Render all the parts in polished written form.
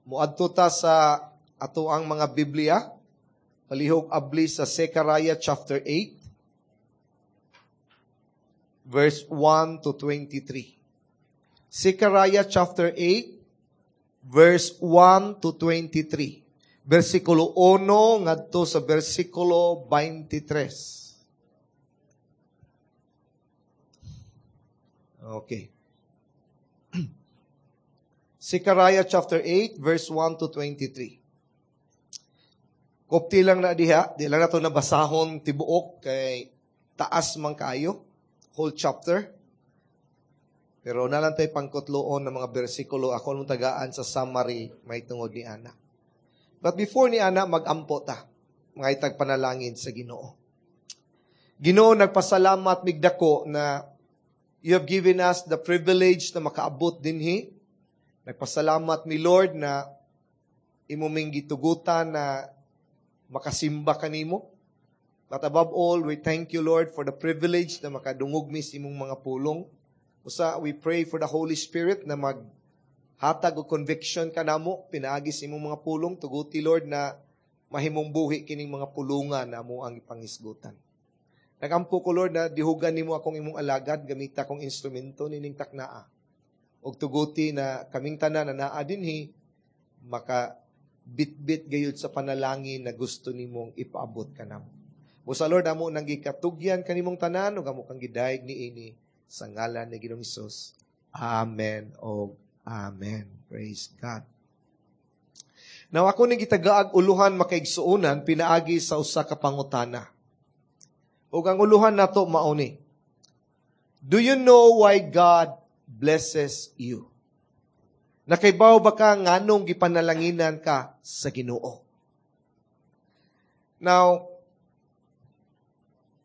Muadto ta sa ato ang mga Biblia. Palihog abli sa Zechariah chapter 8 verse 1 to 23. Zechariah chapter 8 verse 1 to 23. Versikulo 1 ngadto sa versikulo 23. Okay. Zechariah chapter 8 verse 1 to 23. Kopti lang na diha, di lang nato nabasahon tibuok kay taas man kaayo, whole chapter. Pero na lang tayo pangkutloon ng mga bersikulo. Ako nung tagaan sa summary may tungod ni Ana. But before ni Ana, magampo ta. Mga itag panalangin sa Ginoo. Ginoo, nagpasalamat migdako na you have given us the privilege na makaabot dinhi. Nagpasalamat mi, Lord, na imo ming gitugutan na makasimba kanimo. But above all, we thank you, Lord, for the privilege na makadungog mi sa imong mga pulong. Usa, we pray for the Holy Spirit na maghatag og conviction kanamo pinaagi sa imong mga pulong. Tuguti, Lord, na mahimong buhi kining mga pulungan na amo ang ipangisgutan. Nagampo ko, Lord, na dihugan nimo akong imong alagad, gamita akong instrumento nining taknaa. Og tuguti na kaming tanan na naa dinhi maka bitbit gayud sa panalangin na gusto nimong ipaabot kanamo. Busa, Lord, amo nang gikatugyan kanimong tanan ug amo kang gidayeg niini sa ngalan ni Ginoong Hesus. Amen o amen. Praise God. Now ako ning gitagaag uluhan, makaigsuonan, pinaagi sa usa ka pangutana. Ug ang uluhan nato mao ni: Do you know why God blesses you? Nakaibaw ba ka nganong gipanalanginan ka sa Ginoo? Now,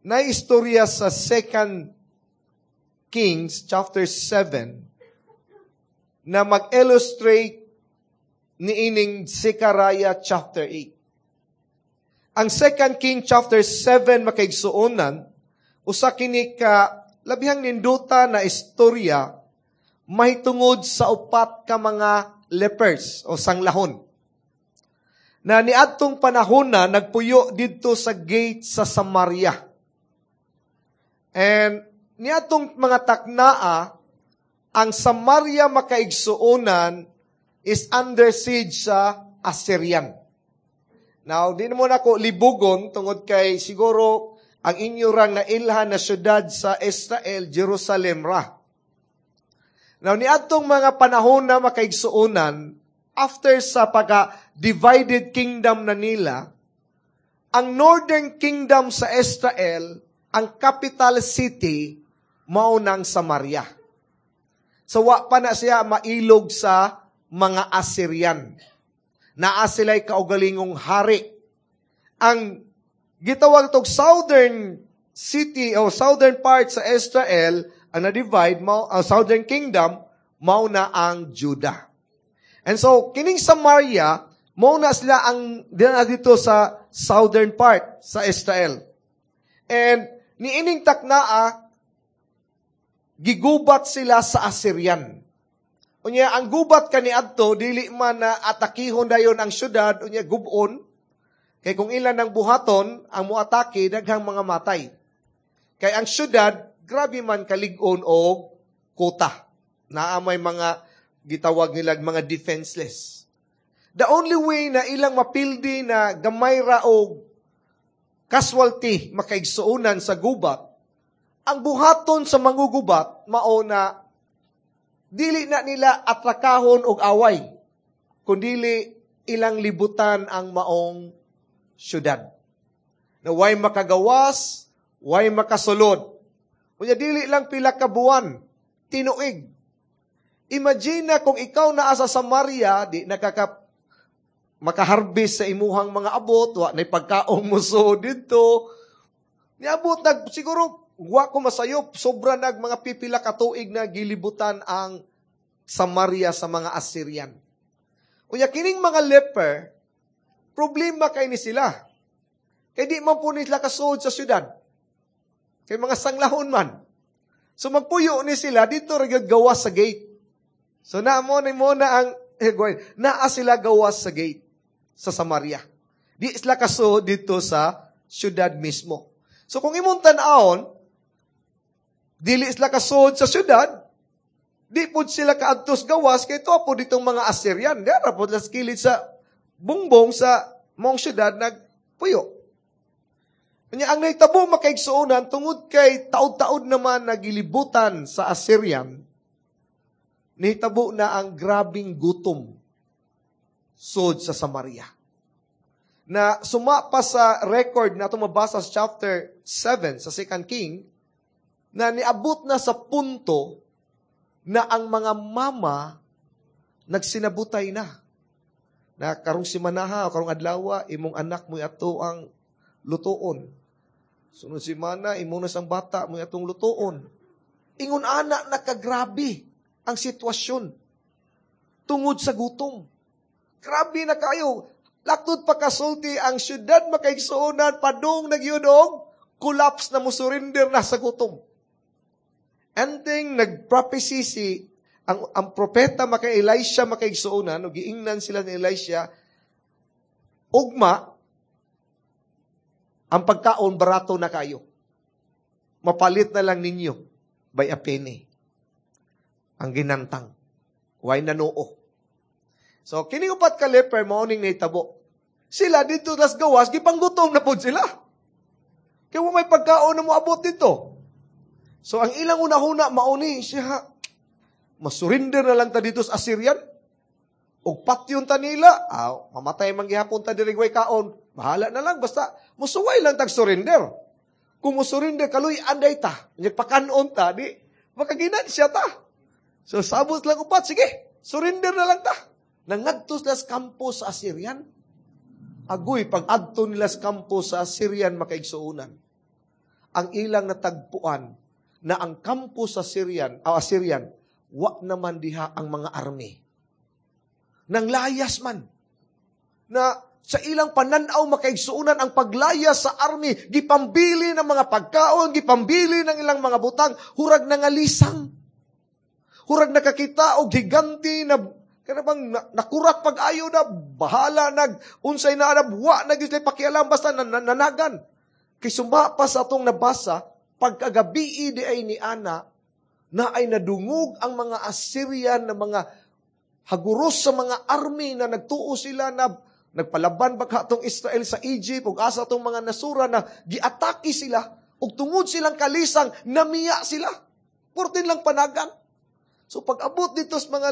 na istorya sa 2 Kings chapter 7 na mag-illustrate niining Zechariah chapter 8. Ang 2 King chapter 7, makaigsuonan, usa kini ka labihang ninduta na istorya mahitungod sa upat ka mga lepers o sanglahon na niadtong panahon na nagpuyo didto sa gate sa Samaria. And niadtong mga taknaa, ang Samaria, makaigsuonan, is under siege sa Assyrian. Now, di mo na ko libugon tungod kay siguro ang inyo rang nailhan na syudad sa Israel, Jerusalem ra. Now, niadtong mga panahon na, makaigsuonan, after sa pagka-divided kingdom na nila, ang northern kingdom sa Israel, ang capital city, mao nang Samaria. So, wa pa na siya mailog sa mga Assyrian. Naa sila'y kaugalingong hari. Ang gitawag tog southern city o southern part sa Israel, ang na-divide, mao, ang southern kingdom, mao na ang Judah. And so, kining Samaria, mao na sila ang dina dito sa southern part sa Israel. And niining taknaa, gigubat sila sa Assyrian. Unya, ang gubat kaniadto, dili man na atakihon dayon ang syudad, unya gubon, kay kung ilan ang buhaton, ang muatake, daghang mga matay. Kay ang syudad, grabe man kalig-on og kota. Naa may mga gitawag nila mga defenseless. The only way na ilang mapildi na gamay ra og casualty, makaigsuonan, sa gubat, ang buhaton sa mangugubat, mao na dili na nila atrakahon og away, kundili ilang libutan ang maong syudad. Na way makagawas, way makasulod. Unya dili lang pila ka buwan, tinuig. Imagine na kung ikaw naa sa Samaria, di nakaka makaharvest sa imuhang mga abot, wa nay pagkaong muso didto. Niabot nag siguro wa ko masayop, sobra nag mga pipila ka tuig na gilibutan ang Samaria sa mga Assyrian. Unya kining mga leper, problema kay ni sila. Kay di man po nila kasuod sa syudad. Kay mga sanglahon man. So magpuyo ni sila dito ra gyud gawas sa gate. So na mo ni mo na ang Eh, naa sila gawas sa gate sa Samaria. Di sila kaso dito sa syudad mismo. So kung imong tan-awon, dili sila kasod sa syudad, di pud sila kaadtos gawas kay to po ditong mga Assyrian. Di ra pod las kilid sa bungbong sa mong syudad nagpuyo. Kanya ang nahitabo, makaigsuonan, tungod kay taod-taod naman nagilibutan sa Assyrian, nahitabo na ang grabing gutom sud sa Samaria. Na suma pa sa record na mabasa sa chapter 7 sa Second King, na niabot na sa punto na ang mga mama nagsinabutay na. Na karong simanaha o karong adlawa, imong anak mo ato ang lutuon. Sunod simana, imo na sang bata mo atong lutuon. Ingon ana nakagrabe ang sitwasyon tungod sa gutom. Grabe na kayo. Laktod pa kasulti ang syudad, makaigsuonan, padung nagyudog, collapse na, musurrender na sa gutom. Ending, nag-prophecy si ang propeta maka Elisha, makaigsuonan, no, giingnan sila ni Elisha, ugma, ang pagkaon barato na kayo. Mapalit na lang ninyo by a penny. Ang ginantang. Way nanuo. So, kini upat ka leper, mao ning nahitabo. Sila dito las gawas, gipanggutom na pud sila. Kaya may pagkaon na moabot dito. So, ang ilang una-una, mauni siya, masurrender na lang ta dito sa Assyrian. Og patyon ta nila, ah, mamatay man gihapon ta diri way kaon. Bahala na lang, basta musuway lang tag surrender. Kung musurrender, kaluy anday ta. Nagpakanon ta, di, makaginansya ta. So, sabot lang upat, sige, surrender na lang ta. Nangadto sila sa kampo sa Assyrian. Agoy, pag adto nila sa kampo sa Assyrian, makaigsuonan, ang ilang natagpuan na ang kampo sa Syrian, o Assyrian, wa naman diha ang mga army. Nang layas man. Na sa ilang pananaw, makaigsuonan, ang paglayas sa army, gipambili ng mga pagkaon, gipambili ng ilang mga butang, hurag nangalisang. Hurag nakakita og higanti na kana bang nakurat pag-ayo na bahala nag unsay na na wa na gyud pakialam basta nanagan. Kay suma pa sa atong nabasa, pagkagabi di ay ni ana na ay nadungog ang mga Assyrian na mga haguros sa mga army na nagtuo sila na nagpalaban ba atong Israel sa Egypt ug asa atong mga nasura na giatake sila ug tungod silang kalisang namiya sila. Purtin lang panagan. So pag abot dito sa mga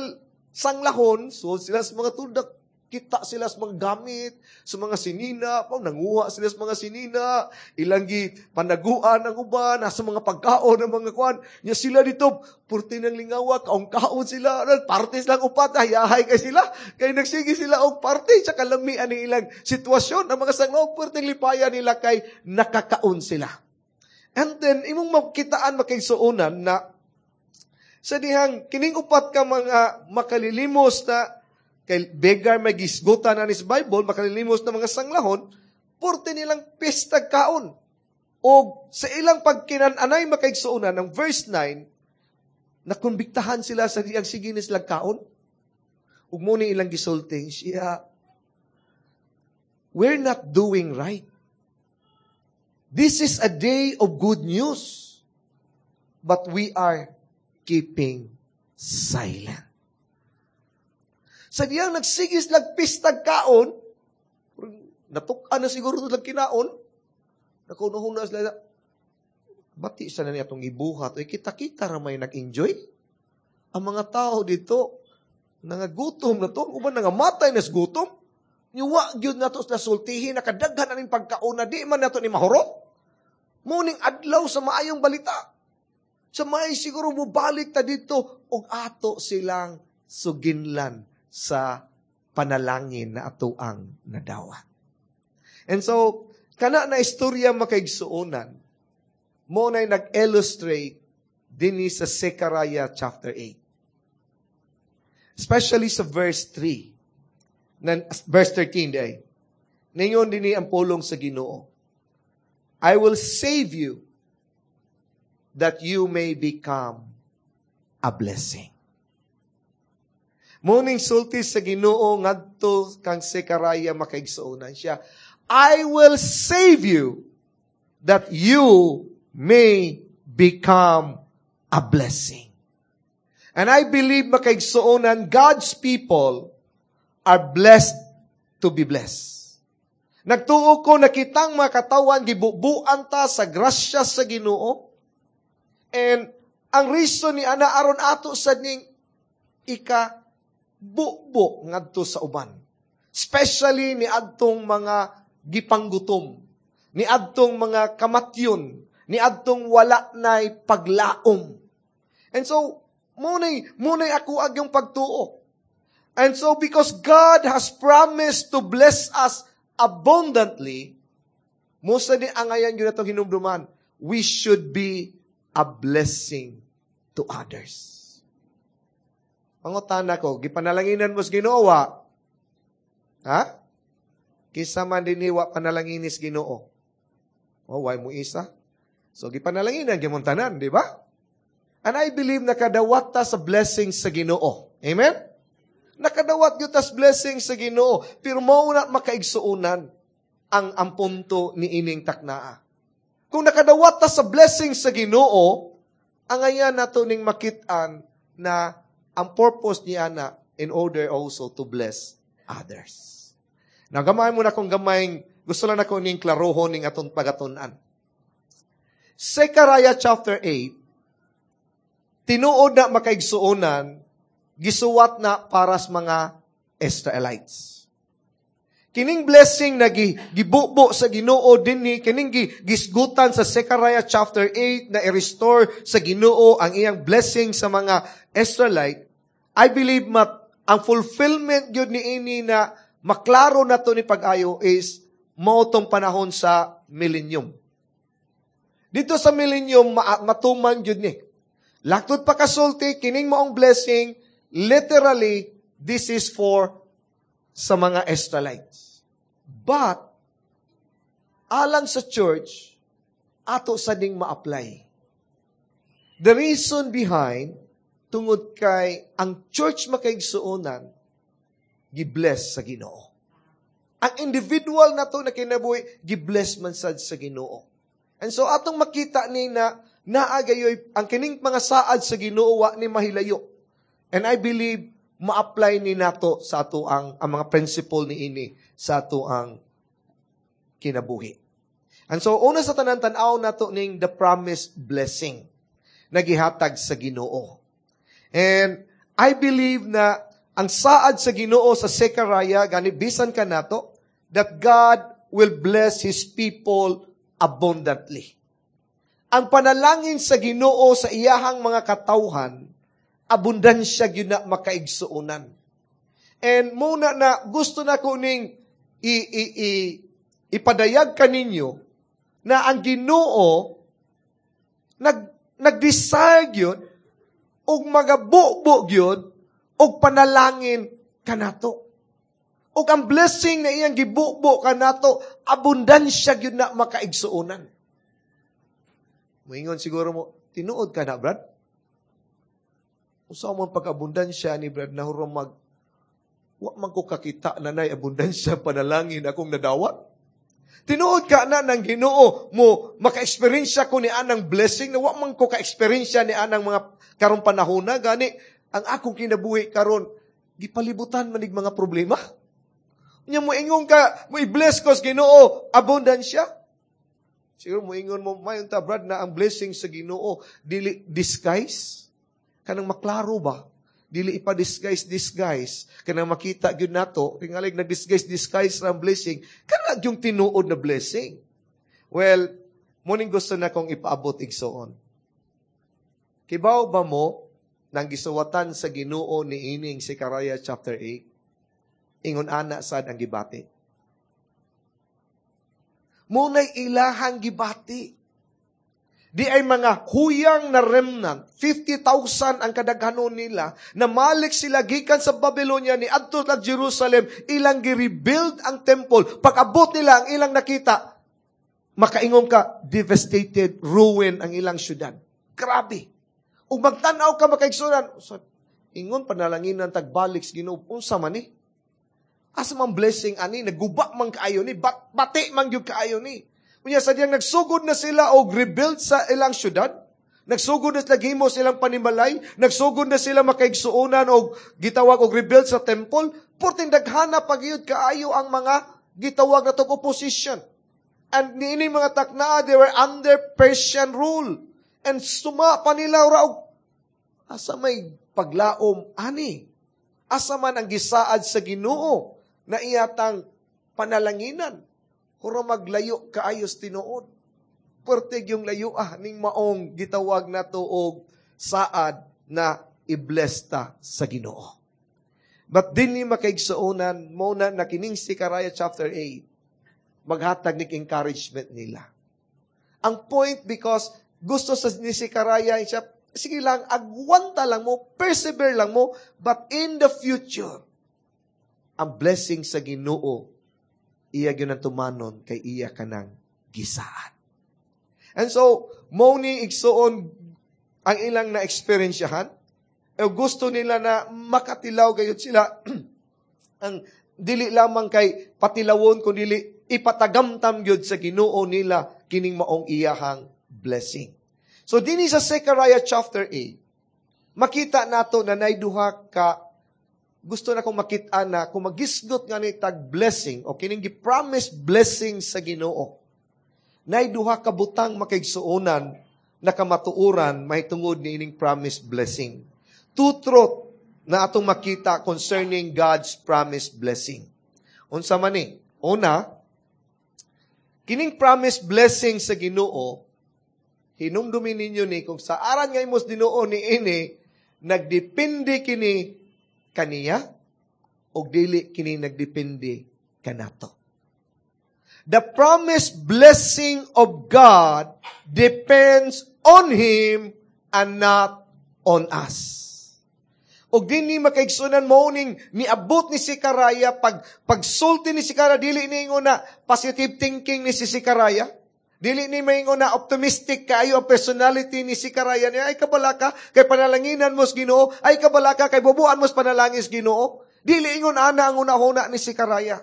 sanglahon, so sila sa mga tuldak, kita sila sa mga gamit, sa mga sinina, pa nanguha sila sa mga sinina, ilang gi panaguan ang uban, nasa mga pagkaon ng mga kuan. Nya sila dito, purti ng lingawa, kaong-kaon sila, party silang upat, hayahay kay sila. Kay nagsige sila og party sa kalamian ng ilang sitwasyon. Ang mga sanglahon, purting lipaya nila kay nakakaon sila. And then, imong makitaan, makaigsuonan, na sa dihang kining upat ka mga makalilimos na kay beggar may gisgutan na ni sa Bible, makalilimos na mga sanglahon, purti nilang pestag kaon. O sa ilang pagkinananay, makaigsuonan, ng verse 9, nakumbiktahan sila sa diyang sige ni silang kaon. Ug mo ni ilang gisulti, siya, "We're not doing right. This is a day of good news, but we are keeping silent." Sa diyang nagsigis lagpistag kaon, natukan na siguro lang kinaon, nakunuhuna sila, bati sa na niya itong ibuhat, ay kita-kita ramay nag-enjoy. Ang mga tao dito, nangagutom na to, uban nangamatay na sa gutom, niwa gyud na to sila sultihin, nakadaghan na ning pagkaon na di man nato ni mahurot. Muning adlaw sa maayong balita. Sa may siguro mubalik ta dito, og ato silang suginlan sa panalangin na ato ang nadawat. And so, kana na istorya, makaigsuonan, mo na nag-illustrate dinhi sa Zechariah chapter 8. Especially sa verse 3. Na, verse 13 day. Ningon dinhi ang pulong sa Ginoo, "I will save you that you may become a blessing." Mao ning sulti sa Ginoo ngadto kang Zechariah, makaigsuonan siya. "I will save you that you may become a blessing." And I believe, makaigsuonan, God's people are blessed to be blessed. Nagtuo ko na kitang mga katawan gibubuan ta sa grasya sa Ginoo. And ang reason ni ana aron ato sa ning ika bubo ngadto sa uban. Especially ni adtong mga gipanggutom, ni adtong mga kamatyon, ni adtong wala nay paglaom. And so, munay ako agyong pagtuo. And so, because God has promised to bless us abundantly, mao sa ni angayan yun atong hinumduman, we should be a blessing to others. Pangutana ko, gipanalanginan mo sa Ginoo? Ha? Kinsa man dinhi wa panalanginis Ginoo? Oh, why mo isa? So, gipanalanginan gyud tanan, di ba? And I believe nakadawat ta sa blessing sa Ginoo. Amen? Nakadawat gyud tas blessing sa Ginoo, pero mao na, makaigsuonan, ang punto ni ining taknaa. Kung nakadawat ta sa blessing sa Ginoo, angayan nato ning makit-an na ang purpose niya na in order also to bless others. Now, gamay mo na kung gamay, gusto lang nako ning klarohon ning atong pagatun-an. Zechariah chapter 8, tinuod na, makaigsuonan, gisuwat na para sa mga Israelites. Kining blessing na gibubo sa Ginoo dinhi, kining gisgutan sa Zechariah chapter 8 na i-restore sa Ginoo ang iyang blessing sa mga Israelite, I believe mat ang fulfillment gyud ni ini na maklaro na to ni pag-ayo is mao tong panahon sa millennium. Dito sa millennium matuman gyud ni. Laktod pa kasulti, kining maong blessing, literally this is for sa mga Israelites. But, alang sa church, ato sa ding ma-apply. The reason behind, tungod kay ang church, makaigsuonan, gibless sa Ginoo. Ang individual na to na kinabuhi, gibless man sad sa Ginoo. And so atong makita ni na naa gayoy ang kining mga saad sa Ginoo wa ni mahilayo. And I believe ma-apply ni nato sa ato ang mga principle ni ini sa ato ang kinabuhi. And so una sa tanan, tan-aw nato ning the promised blessing na gihatag sa Ginoo. And I believe na ang saad sa Ginoo sa Zechariah gani bisan kanato that God will bless His people abundantly. Ang panalangin sa Ginoo sa iyahang mga katawhan, abundansya gyud na, makaigsuonan. And muna na gusto na ko ning i, i, i, ipadayag kaninyo na ang Ginoo nag-desire gyud og magabubo gyud og panalangin kanato. Ug ang blessing na iyang gibubo kanato, abundansya gyud na, makaigsuonan. Moingon siguro mo, "Tinuod ka na, Brad? Usa mo pag-abundansya ni Brad na mag wa man ko kakita na nay abundansya panalangin akong nadawat. Tinuod ka na ng Ginoo mo maka-experience ko ni anang blessing na wa man ko ka-experience ni anang mga karong panahon na gani ang akong kinabuhi karon gipalibutan manig mga problema? Nya mo ingon ka, mo i-bless ko sa Ginoo, abundansya?" Siguro mo ingon mo, "Mayon ta, Brad, na ang blessing sa Ginoo dili disguise. Kanang maklaro ba? Dili ipa-disguise disguise. Kanang makita gyud nato, tingalig nag-disguise disguise ang blessing, kana yung tinuod na blessing." Well, muning gusto na kong ipaabot, igsoon. Kibaw ba mo nang gisuwatan sa Ginoo ni ining Zechariah chapter 8? Ingon ana sad ang gibati. Munay ilahang gibati. Di ay mga huyang na remnant, 50,000 ang kadaghanon nila, na malik sila gikan sa Babylonia ni adto sa Jerusalem, ilang gi-rebuild ang temple. Pag-abot nila, ang ilang nakita, makaingon ka, devastated, ruin ang ilang syudad. Grabe. Ug magtan-aw ka, makaigsuonan, so, Ingon panalanginan tagbalik sa Ginoo, unsa man ni? Asa man blessing ani? Naguba man kaayo ni, bati man gyud kaayo ni. Unya sa diyang nagsugod na sila og rebuild sa ilang syudad, nagsugod na sila gihimo sa ilang panimalay, nagsugod na sila makaigsuonan og gitawag og rebuild sa temple, purting daghana pagyud kaayo ang mga gitawag na tog opposition. And niini mga taknaa, they were under Persian rule. And suma pa nila ra og asa may paglaom ani? Asa man ang gisaad sa Ginoo na iyatang panalanginan? Kuro maglayo kaayos tinuod. Pertig yung layo ning maong gitawag na og saad na i-bless ta sa Ginoo. But dinhi, makaigsuonan, mo na na kining Zechariah chapter 8, maghatag nig encouragement nila. Ang point, because gusto sa ni Zechariah siya, sige lang, agwanta lang mo, persevere lang mo, but in the future, ang blessing sa Ginoo, iya gyud ang tumanon kay iya kanang gisaad. And so, mo ni, igsuon, ang ilang na-experiensyahan, e gusto nila na makatilaw gayud sila ang dili lamang kay patilawon kun dili ipatagamtam gyud sa Ginoo nila kining maong iyahang blessing. So dinhi sa Zechariah chapter 8, makita nato na nay duha ka gusto na kong makita na kung magisgot nga ni tag blessing o kining gi-promise blessing sa Ginoo. Nay duha ka butang, makaigsuonan, na kamatuoran mahitungod ni ining promise blessing. Two truth na atong makita concerning God's promise blessing. Unsa man ni? Una, kining promise blessing sa Ginoo, hinumdumi ninyo ni kung sa aran nga imos Ginoo ni ini, nagdepende kini kaniya o dili kini nagdepende kanato. The promised blessing of God depends on Him and not on us. Og dinhi, makaigsunan, mo ning niabot ni Zechariah pag pagsulti ni Zechariah, dili ni ingon na positive thinking ni si Zechariah. Dili ni maingon na optimistic kaayo ang personality ni Zechariah niya. Ay kabalaka kay panalanginan mo sa Ginoo, ay kabalaka kay bubuan mo sa panalangin sa Ginoo. Dili ingon ana ang una-huna ni Zechariah.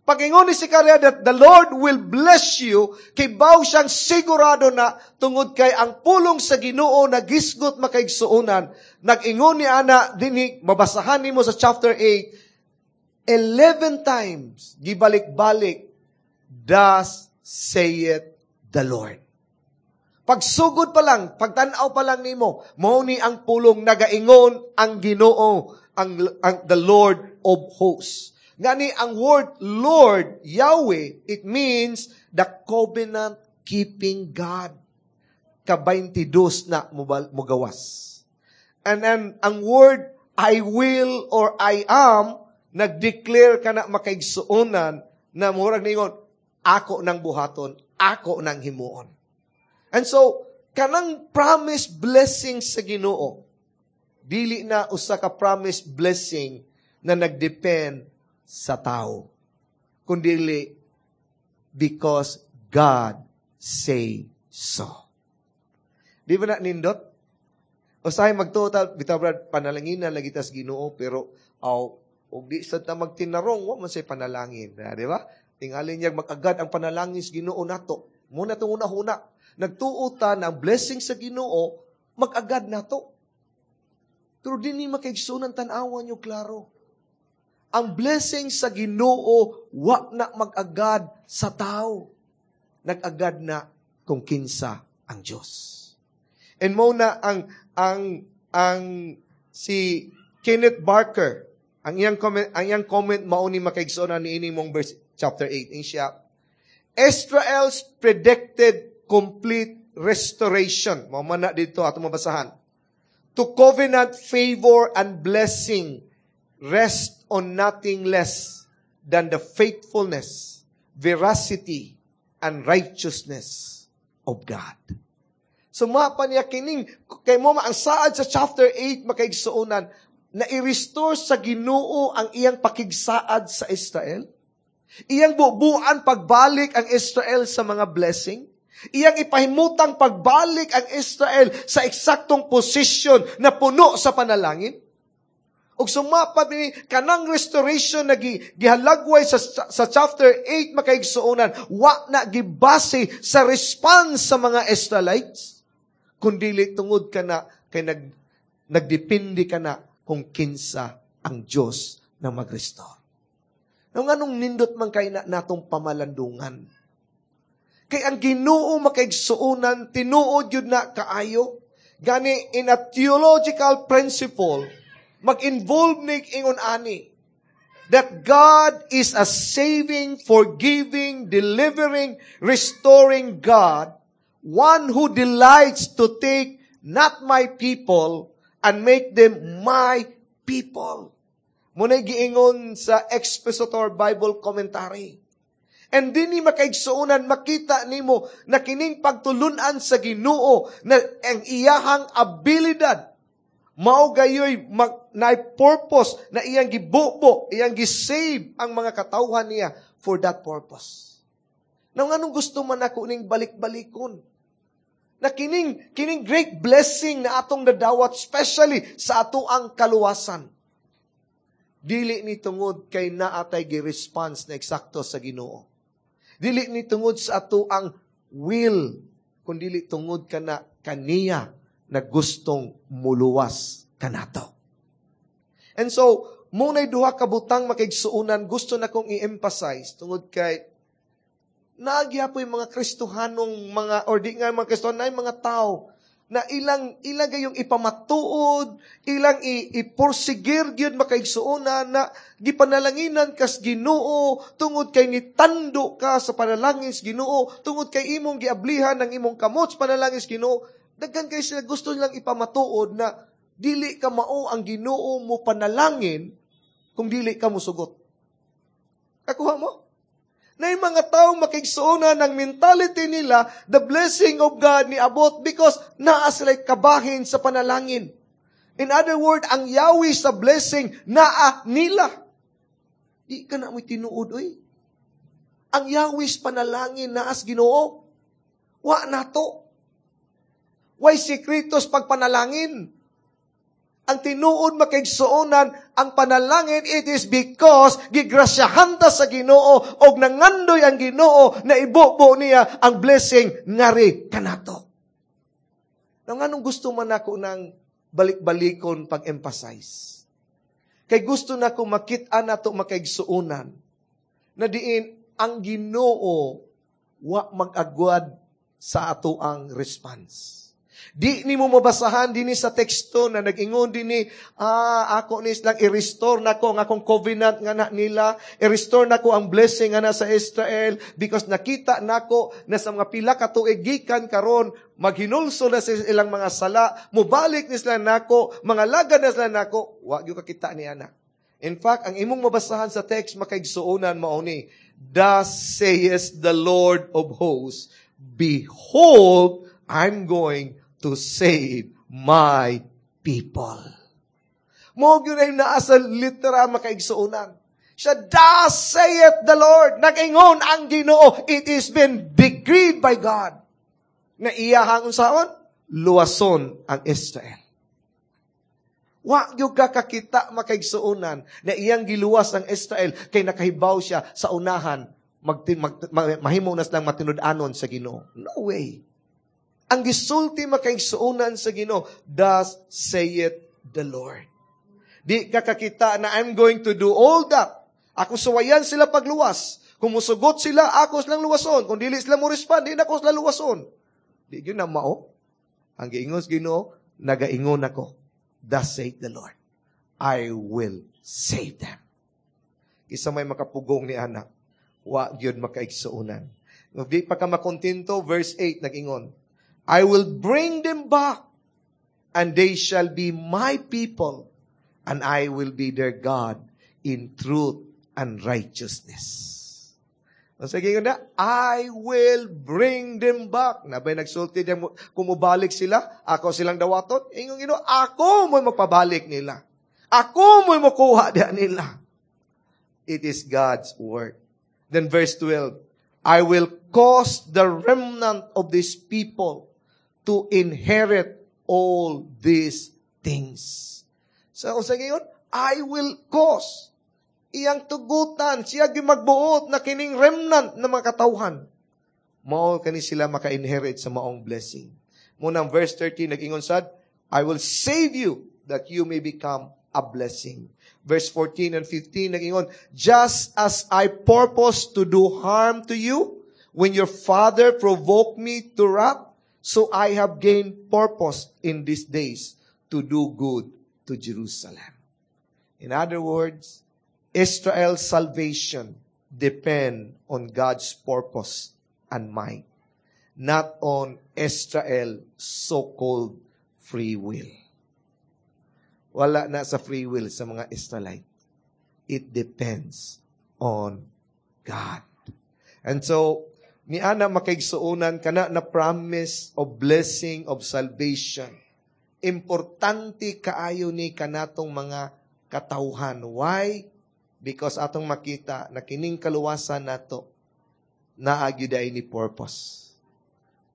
Pag-ingon ni Zechariah that the Lord will bless you, kibaw siyang sigurado na tungod kay ang pulong sa Ginoo nagisgot, makaigsuonan. Nag-ingon ni ana dinhi, mabasahan nimo sa chapter 8, 11 times gibalik-balik, "Thus saith the Lord." Pagsugod pa lang, pagtanaw pa lang nimo, mao ni ang pulong nagaingon ang Ginoo, ang the Lord of hosts. Ngani ang word Lord, Yahweh, it means the covenant keeping God. Ka-22 na mugawas. And then, ang word "I will" or "I am", nag-declare ka na, makaigsuonan, na murag ningon, ako nang buhaton, ako nang himuon. And so, kanang promise blessing sa Ginoo, dili na usa ka promise blessing na nagdepend sa tao, kundili because God say so. Di ba na nindot? Usahay magtuo ta, bitaw brad, panalangin na lagi tas Ginoo, pero aw, og di sad ta magtinarong, wa man say panalangin. Di ba? Tingali niya mag-agad ang panalangin sa Ginoo nato. Muna itong una-huna. Nagtuo ta na ang blessing sa Ginoo, mag-agad nato. Pero dinhi, makaigsunan, tan-awan nyo klaro. Ang blessing sa Ginoo wa na mag-agad sa tao. Nag-agad na kung kinsa ang Diyos. And mo na ang si Kenneth Barker, ang iyang comment mao ni, makaigsoon, ni ini mong verse chapter 8. In siya, Israel's predicted complete restoration. Mao man na dito ato mabasahan. To covenant favor and blessing rest on nothing less than the faithfulness, veracity, and righteousness of God. So mapa niya kining, kay mo ang saad sa chapter 8, makaigsuonan, na i-restore sa Ginoo ang iyang pakigsaad sa Israel. Iyang bubuan pagbalik ang Israel sa mga blessing. Iyang ipahimutang pagbalik ang Israel sa eksaktong posisyon na puno sa panalangin. Ug sumapa ni kanang restoration na gihalagway sa chapter 8, makaigsuonan, wa na gibase sa response sa mga Israelites, kundili tungod kana kay nagdepende kana kung kinsa ang Dios na mag-restore. Nung anong nindot man kay na natong pamalandungan. Kay ang Ginoo, makaigsuonan, tinuod yun na kaayo. Gani in a theological principle, mag-involve ni ingon ani that God is a saving, forgiving, delivering, restoring God, one who delights to take not my people and make them my people. Muna'y giingon sa Expositor Bible Commentary. And dinhi, makaigsuonan, makita nimo na kining pagtulunan sa Ginoo na ang iyahang abilidad mao gayoy na purpose na iyang gibubo, iyang gisave ang mga katawhan niya for that purpose. Now, anong gusto man ako ning balik-balikon? Na kining great blessing na atong nadawat, especially sa ato ang kaluwasan. Dili ni tungod kay naatay gi-response na eksakto sa Ginoo. Dili ni tungod sa ato ang will, kundi tungod kana kaniya na gustong muluwas kanato. And so, muna'y duha ka butang, makaigsuonan, gusto na kong i-emphasize tungod kay naagyapoy mga Kristohanong mga, or di nga mga Kristohano, na mga tao na ilang gayong ipamatuod, ilang ipursigir gyud, makaigsuonan, na gipanalanginan kas Ginoo tungod kay nitando ka sa panalangin sa Ginoo, tungod kay imong giablihan ang imong kamot sa panalangin sa Ginoo. Daghan kay sila gusto nilang ipamatuod na dili ka mao ang Ginoo mo panalangin kung dili ka musugot. Kakuha mo? Na yung mga taong makigsuonan ng mentality nila, the blessing of God ni abot because naa sila kabahin sa panalangin. In other word, ang yawi sa blessing naa nila. Di ka na mo'y tinuod, oy. Ang yawis panalangin naas Ginoo. Wa nato. Way sikretos pagpanalangin. Ang tinuod, makaigsuonan, ang panalangin, it is because gigrasyahan ta sa Ginoo og nangandoy ang Ginoo na ibubo niya ang blessing ngari kanato. Nang anong gusto man ako ng balik-balikon pag-emphasize? Kay gusto na ko makita nato, makaigsuonan, na diin ang Ginoo wa mag-agwad sa ato ang response. Di ni mo mabasahan dinhi sa teksto na nag-ingon dinhi, ako ni lang i-restore nako ang akong covenant nga na nila, i-restore nako ang blessing nga na sa Israel because nakita nako na sa mga pila ka tuig gikan karon maghinulsol na sa ilang mga sala, mobalik ni sila nako, mga lagad na sila nako, wa gyud kakita ni ana. In fact, ang imong mabasahan sa text, makaigsuonan, mao ni, "Thus says the Lord of hosts, behold, I'm going to save my people." Mo gyud ay naa sa litera, makaigsuonan. Siya, "Thus saith the Lord." Nag-ingon ang Ginoo. It is been decreed by God na iyahang unsaon? Luwason ang Israel. Wa gyud ka kakita, makaigsuonan, na iyang giluwas ang Israel kay nakahibaw siya sa unahan mahimo na silang matinud-anon sa Ginoo. No way. Ang gisulti, makaigsuonan, sa Ginoo, "Thus saith the Lord." Di ka kakita na I'm going to do all that. Ako suwayan sila pagluwas. Kung musugot sila, ako silang luwason. Kung dili sila mo respond, di na ako sila luwason. Di gyud na mao. Ang giingon sa Ginoo, nagaingon ako. "Thus saith the Lord, I will save them." Isa may makapugong ni ana, wa gyud, makaigsuonan. Di pa ka makontento, verse 8 nag-ingon, "I will bring them back, and they shall be my people, and I will be their God in truth and righteousness." Ang sige na, "I will bring them back." Nabay nagsulti diyan, kung mubalik sila, ako silang dawaton. Ingon Ginoo, ako mo magpabalik nila. Ako mo makuha diyan nila. It is God's work. Then verse 12, "I will cause the remnant of this people to inherit all these things." So, sa ngayon, I will cause. Iyang tugutan, siya magbuot na kining remnant na mga katawhan. Mao kani sila maka-inherit sa maong blessing. Munang verse 13, nag-ingon sad, "I will save you that you may become a blessing." Verse 14 and 15, nag-ingon, "Just as I purpose to do harm to you, when your father provoked me to wrath, so I have gained purpose in these days to do good to Jerusalem." In other words, Israel's salvation depend on God's purpose and might, not on Israel so-called free will. Wala na sa free will sa mga Israelite. It depends on God. And so, niana, makaigsuonan, kana na promise of blessing of salvation. Importante kaayo ni kanatong mga katawhan. Why? Because atong makita na kining kaluwasan nato naa gyud ni purpose.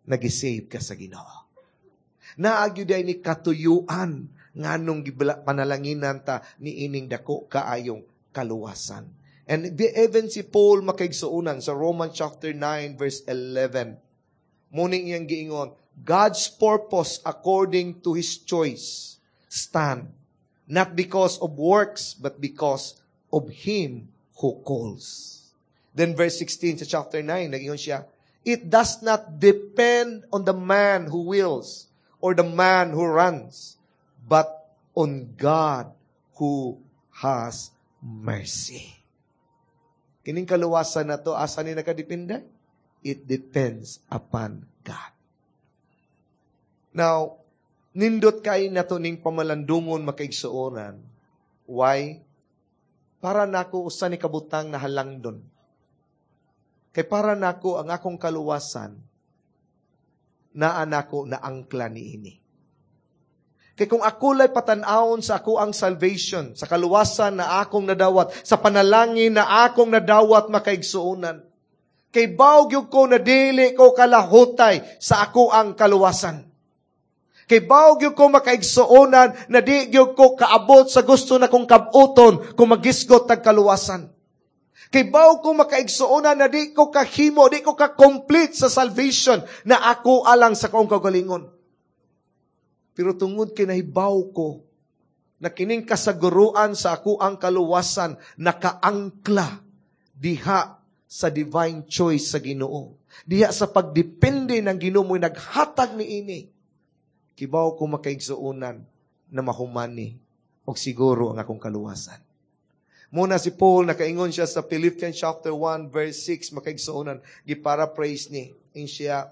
Nag-save ka sa Ginoo. Naa gyud ni katuyuan nganong gibala panalanginan ta ni ining dako kaayong kaluwasan. And even si Paul, makaigsuonan, sa Romans chapter 9 verse 11, muning iyang giingon, "God's purpose according to His choice stand, not because of works, but because of Him who calls." Then verse 16 sa chapter 9, nag-ingon siya, "It does not depend on the man who wills or the man who runs, but on God who has mercy." Kining kaluwasan na to, asa ni nakadepende? It depends upon God. Now, nindot kay nato ning pamalandungon, makaigsuonan. Why? Para nako, usa ni kabutang na halangdon. Kay para nako, ang akong kaluwasan, naa nako na angkla ni ini. Kay kung ako lay patan-awon sa ako ang salvation, sa kaluwasan na akong nadawat, sa panalangin na akong nadawat, makaigsuonan, kay bawg ko na dili ko kalahutay sa ako ang kaluwasan. Kay bawg ko, makaigsuonan, na di gyud ko kaabot sa gusto na kong kabuton kung magisgot tag kaluwasan. Kay bawg ko, makaigsuonan, na di ko kahimo, di ko ka-complete sa salvation na ako alang sa akong kaugalingon. Pero tungod kay nahibaw ko na kining kasaguruan sa ako ang kaluwasan nakaangkla diha sa divine choice sa Ginoo. Diha sa pagdepende ng Ginoo mo'y naghatag ni ini. Kibaw ko, makaigsuonan, na mahumani og siguro ang akong kaluwasan. Muna si Paul, nakaingon siya sa Philippians chapter 1 verse 6, makaigsuonan, giparaphrase ni. In siya,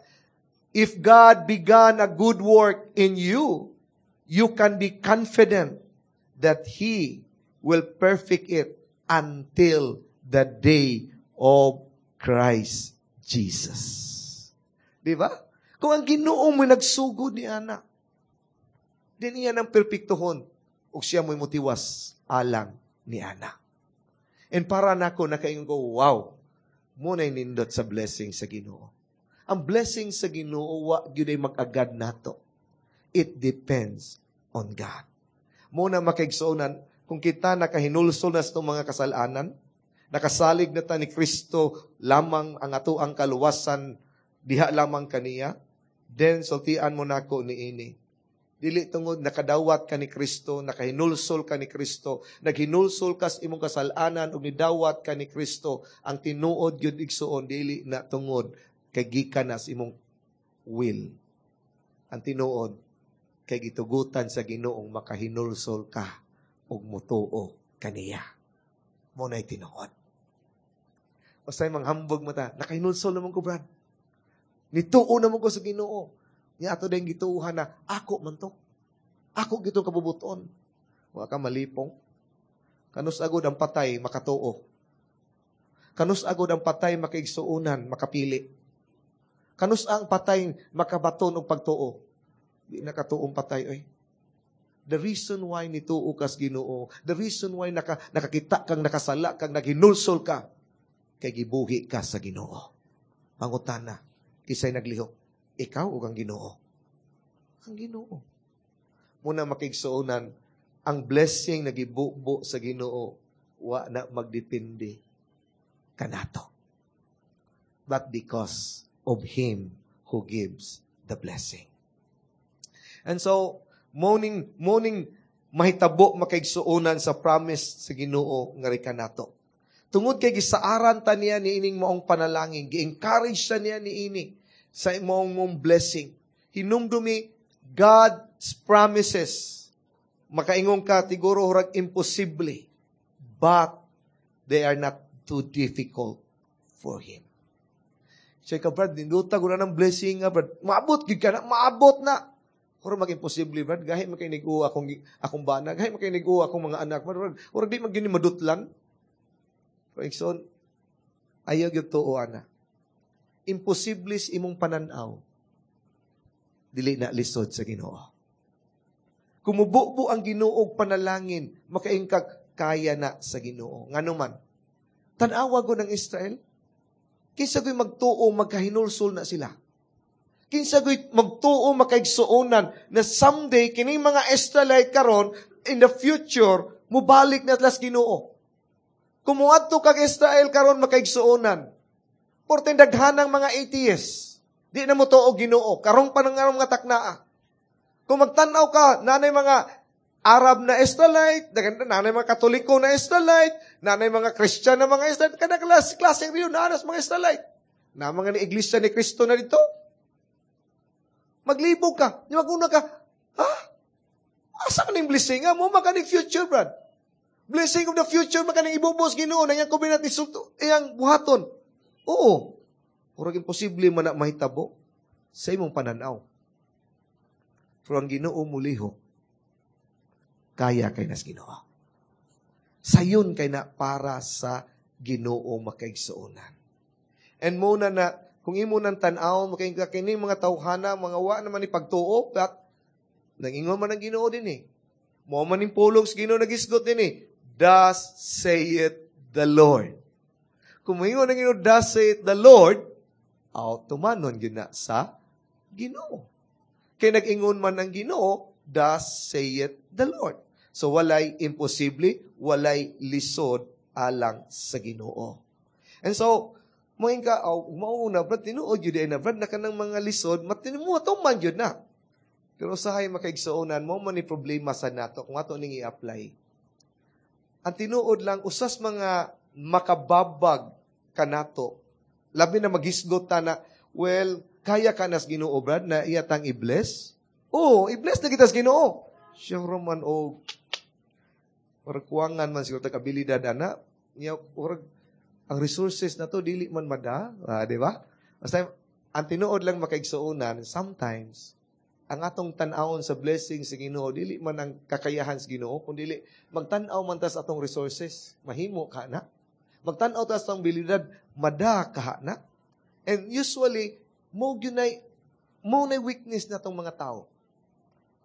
"If God began a good work in you, you can be confident that He will perfect it until the day of Christ Jesus." Di ba? Kung ang Ginoo mo nagsugod ni ana, din iya ng perpektuhon, ug siya mo'y mutiwas alang ni ana. And para nako, nakaingon ko, "Wow, muna'y nindot sa blessing sa Ginoo." Ang blessing sa Ginoo wa gyud ay mag-agad nato. It depends on God. Muna, makaigsuonan, kung kita nakahinulsol na sa mga kasalanan, nakasalig na ta ni Kristo lamang ang ato ang kaluwasan, diha lamang kaniya, then sultian mo nako ni ini. Dili tungod nakadawat ka ni Kristo, nakahinulsol ka ni Kristo, naghinulsol ka sa imong kasalanan ug nidawat ka ni Kristo, ang tinuod gyud, igsuon, dili na tungod kay gikan na sa imong will. Ang tinuod kay gitugutan sa Ginoong makahinulsol ka ug mutuo kaniya. Mo na'y tinuod. Basta manghambog mo ta, "Nakahinulsol naman ko, Brad. Nituo naman ko sa Ginoo." Niya ato din gituuhan na ako man to. Ako gitong kabubuton. Wa ka malipong. Kanus agod ang patay makatuo? Kanus agod ang patay, makaigsuonan, makapili? Kanus ang patay makabaton og pagtuo? Di nakatuong patay oy. The reason why nituo kas Ginoo, the reason why nakakita kang nakasala kang naghinulsol ka, kay gibuhi ka sa Ginoo. Pangutana, kisay naglihok? Ikaw o ang Ginoo? Ang Ginoo. Muna, makigsuonan, Ang blessing nagibubo sa Ginoo, wa na magdepende kanato, but because of Him who gives the blessing. And so, morning mahitabo, makaigsuonan, sa promise sa Ginoo nga kanato. Tungod kay gisaaran ta niya niining maong panalangin, gi-encourage ta niya niini sa maong mong blessing. Hinumdumi God's promises. Makaingon ka, siguro hurag imposible. But they are not too difficult for Him. Siya ka, "Brad, ninduta ko na ng blessing nga, Brad." Maabot gyud ka na, maabot na. Pero mag-imposible, Brad. Gahi makinig akong bana, gahi makinig akong mga anak. Brad, murag di man madutlan. Pero igsoon, ayaw gyud tuo ana. Imposible sa imong pananaw, dili na lisod sa Ginoo. Kung mububo ang Ginoo panalangin, makaingkag kaya na sa Ginoo. Ngano man, tan-awa ko ng Israel, kinsa ko'y magtuo magkahinulsol na sila? Kinsa ko'y magtuo makaigsuonan na someday kining mga Israelite karon, in the future mubalik na atlas Ginoo? Kung muadto kag Israel karon, makaigsuonan, porte daghanang mga atheists, di na mo tuo Ginoo, karong pa nang mga taknaa. Kung magtan-aw ka, nanay mga Arab na Israelite, nanay mga Katoliko na Israelite, nanay mga Christian na mga Israelite, kada klase, klase rin nanas mga Israelite. Na mga ni Iglesia ni Cristo na dito. Maglibog ka, maguna ka, ha? Asa ka ning blessing nga? Mo makaning future, Brad. Blessing of the future, makaning ibubos Ginoo na iyang covenant iyang buhaton. Oo. Murag imposible man na mahitabo sa imong pananaw. Pero ang Ginoo mulihok, kaya kay nas Ginoo. Sayon kay na para sa Ginoo, makaigsuonan. And muna na, kung imo nang tan-aw, makay kini mga tawhana, mga wa naman ni pagtuo, but nangingon man ang Ginoo din eh. Mo man ning pulong sa Ginoo nagisgot din eh. "Thus saith the Lord." Kung moingon ang Ginoo, "Thus saith the Lord," aw, tumanon gyud na sa Ginoo. Kay nag-ingon man ang Ginoo, "Thus saith the Lord." So walay imposible, walay lisod alang sa Ginoo. And so, moingon ka, oh, mauna, Brad, tinuod yun na, Brad, na kanang mga lisod, matinu man yun na. Pero usahay, makaigsuonan, mo man ni problema sa nato kung ato ning i-apply. Ang tinuod lang, usas mga makababag kanato, labi na maghisgot ta na, well, kaya ka nas Ginoo, Brad, na iyatang i-bless? Oo, i-bless na kita sa Ginoo. Sure man, o, or kuwangan man siguro tag abilidad ana, niya, or, ang resources na to, dili man mada, di ba? Basta, ang tinuod lang, makaigsuonan, sometimes, ang atong tan-awon sa blessing sa Ginoo dili man ang kakayahan sa Ginoo, kun dili magtan-aw man ta sa atong resources, mahimo ka na. Magtan-aw ta sa atong abilidad, mada ka na. And usually, mo gyud mo na weakness na tong mga tao.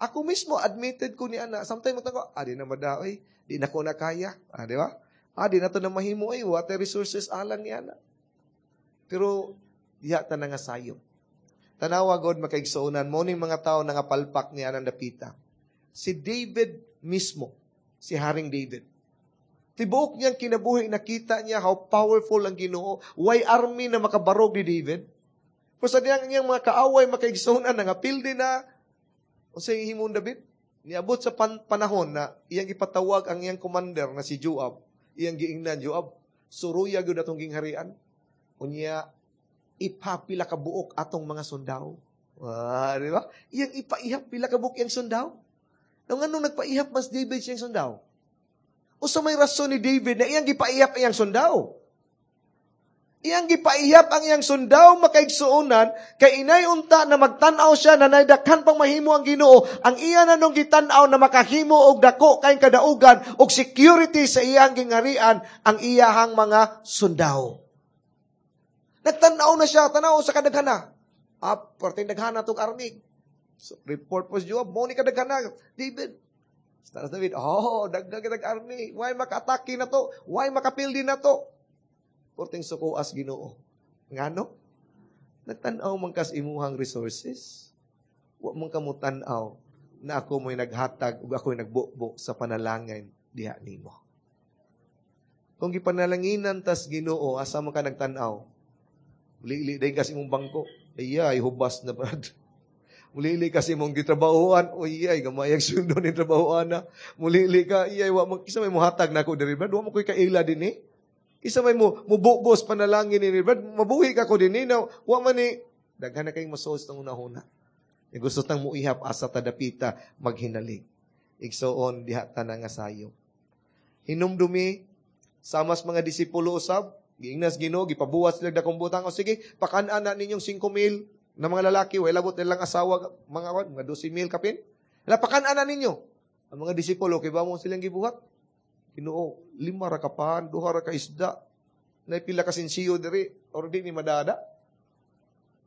Ako mismo, admitted ko ni ana, sometimes magtan-aw, ah, di na mada, oy, di na ko na kaya. Ah, di ba? Ah, di na to na mahimo, ay, what resources alang ni ana. Pero, diha ta na nga sayo. Tanawa God, makaigsuonan, mo ning mga tao na nga palpak ni anang dapita. Si David mismo, si Haring David. Tibuok niyang kinabuhi, nakita niya how powerful ang Ginoo. Way army na makabarog ni David. Pero sa diyang niyang mga kaaway, makaigsuonan, nangapildi na. O sa himon David, niabot sa panahon na iyang ipatawag ang iyang commander na si Joab. Iyang giingnan, "Joab, suruya gyud atong gingharian. Unya, ipapila ka buok atong mga sundao." Ah, di ba? Iyang ipaihap pila ka buok iyang sundao. Nung anong nagpaihap mas David siyang sundao? O sa may rason ni David na iyang gipaihap iyang sundao? Iyang gipaihap ang iyang sundao, makaigsuonan, kay inay unta na magtan-aw siya na naidakhan pang mahimo ang Ginoo, ang iya na nung gitan-aw na makahimo og dako kay kadaugan og security sa iyang gingharian ang iyahang mga sundao. Nagtan-aw na siya, tanaw sa kadaghana. Ah, perting daghana tong army. So, report po si Joab, mo ni kadaghana, David. Tapos David, "Oh, dagdag kitag army. Why maka-atake na to? Why makapildi na to?" Porting sukuas Ginoo. Ngano? Nagtan-aw man kas imuhang resources. Wa man ka mo tan-aw na ako mo'y naghatag ug ako'y nagbubo sa panalangin diha nimo. Kung gipanalanginan tas Ginoo, asa man ka nagtan-aw? Mulili din kasi mong bangko. Ay, hubas na brad. Mulili kasi mong gitrabahoan. Uy, ay, gamay ang sundo ni trabahoan na. Mulili ka, iyay, wa man, kisa may muhatag na ako diri, brad. Wa mo ko'y kaila din eh. Kisa may mo, mububos panalangin ni brad. Mabuhi ka ko din eh. Na, wa man ni, daghan na kayong masoos ng unahuna. Gusto tang muihap asa tadapita maghinalig. Igsoon diha ta na nga sayo. Hinumdumi, samas mga disipulo usab, giingnas Ginoo, gipabuhat sila dakong butang. O sige, pakan-an na ninyong 5,000 na mga lalaki, way labot nilang asawa, mga 12,000 kapin. Pakan-an na ninyo. Ang mga disipulo, kay ba mo silang gibuhat? Ginoo, 5 ra ka pan, 2 ra ka isda. Naipila ka sinsiyo diri, or di ni madada.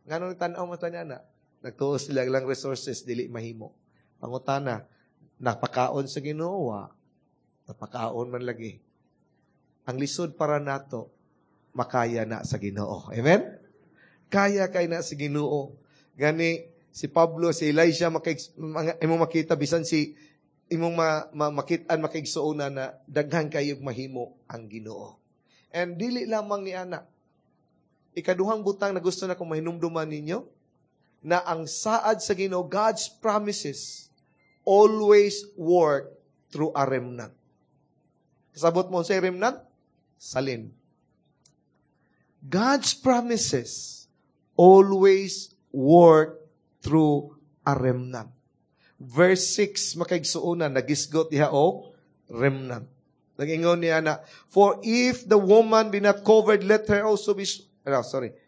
Ngano ni tan-aw man tanya na? Nagtuo sila lang resources, dili mahimo. Pangutana, napakaon sa Ginoo, napakaon man lagi. Ang lisod para nato, makaya na sa Ginoo. Amen? Kaya kay na sa Ginoo. Gani, si Pablo, si Elisha, imong makita, bisan si imong makitaan, makiigsuona na daghan kayog mahimo ang Ginoo. And dili lamang ni ana. Ikaduhang butang na gusto na kong mahinumduman ninyo, na ang saad sa Ginoo, God's promises always work through a remnant. Kasabot mo sa remnant? Salin. God's promises always work through a remnant. Verse 6, makaigsuonan, nagisgot diha og remnant. Nagingon niya na, for if the woman be not covered, let her also be... No, sorry.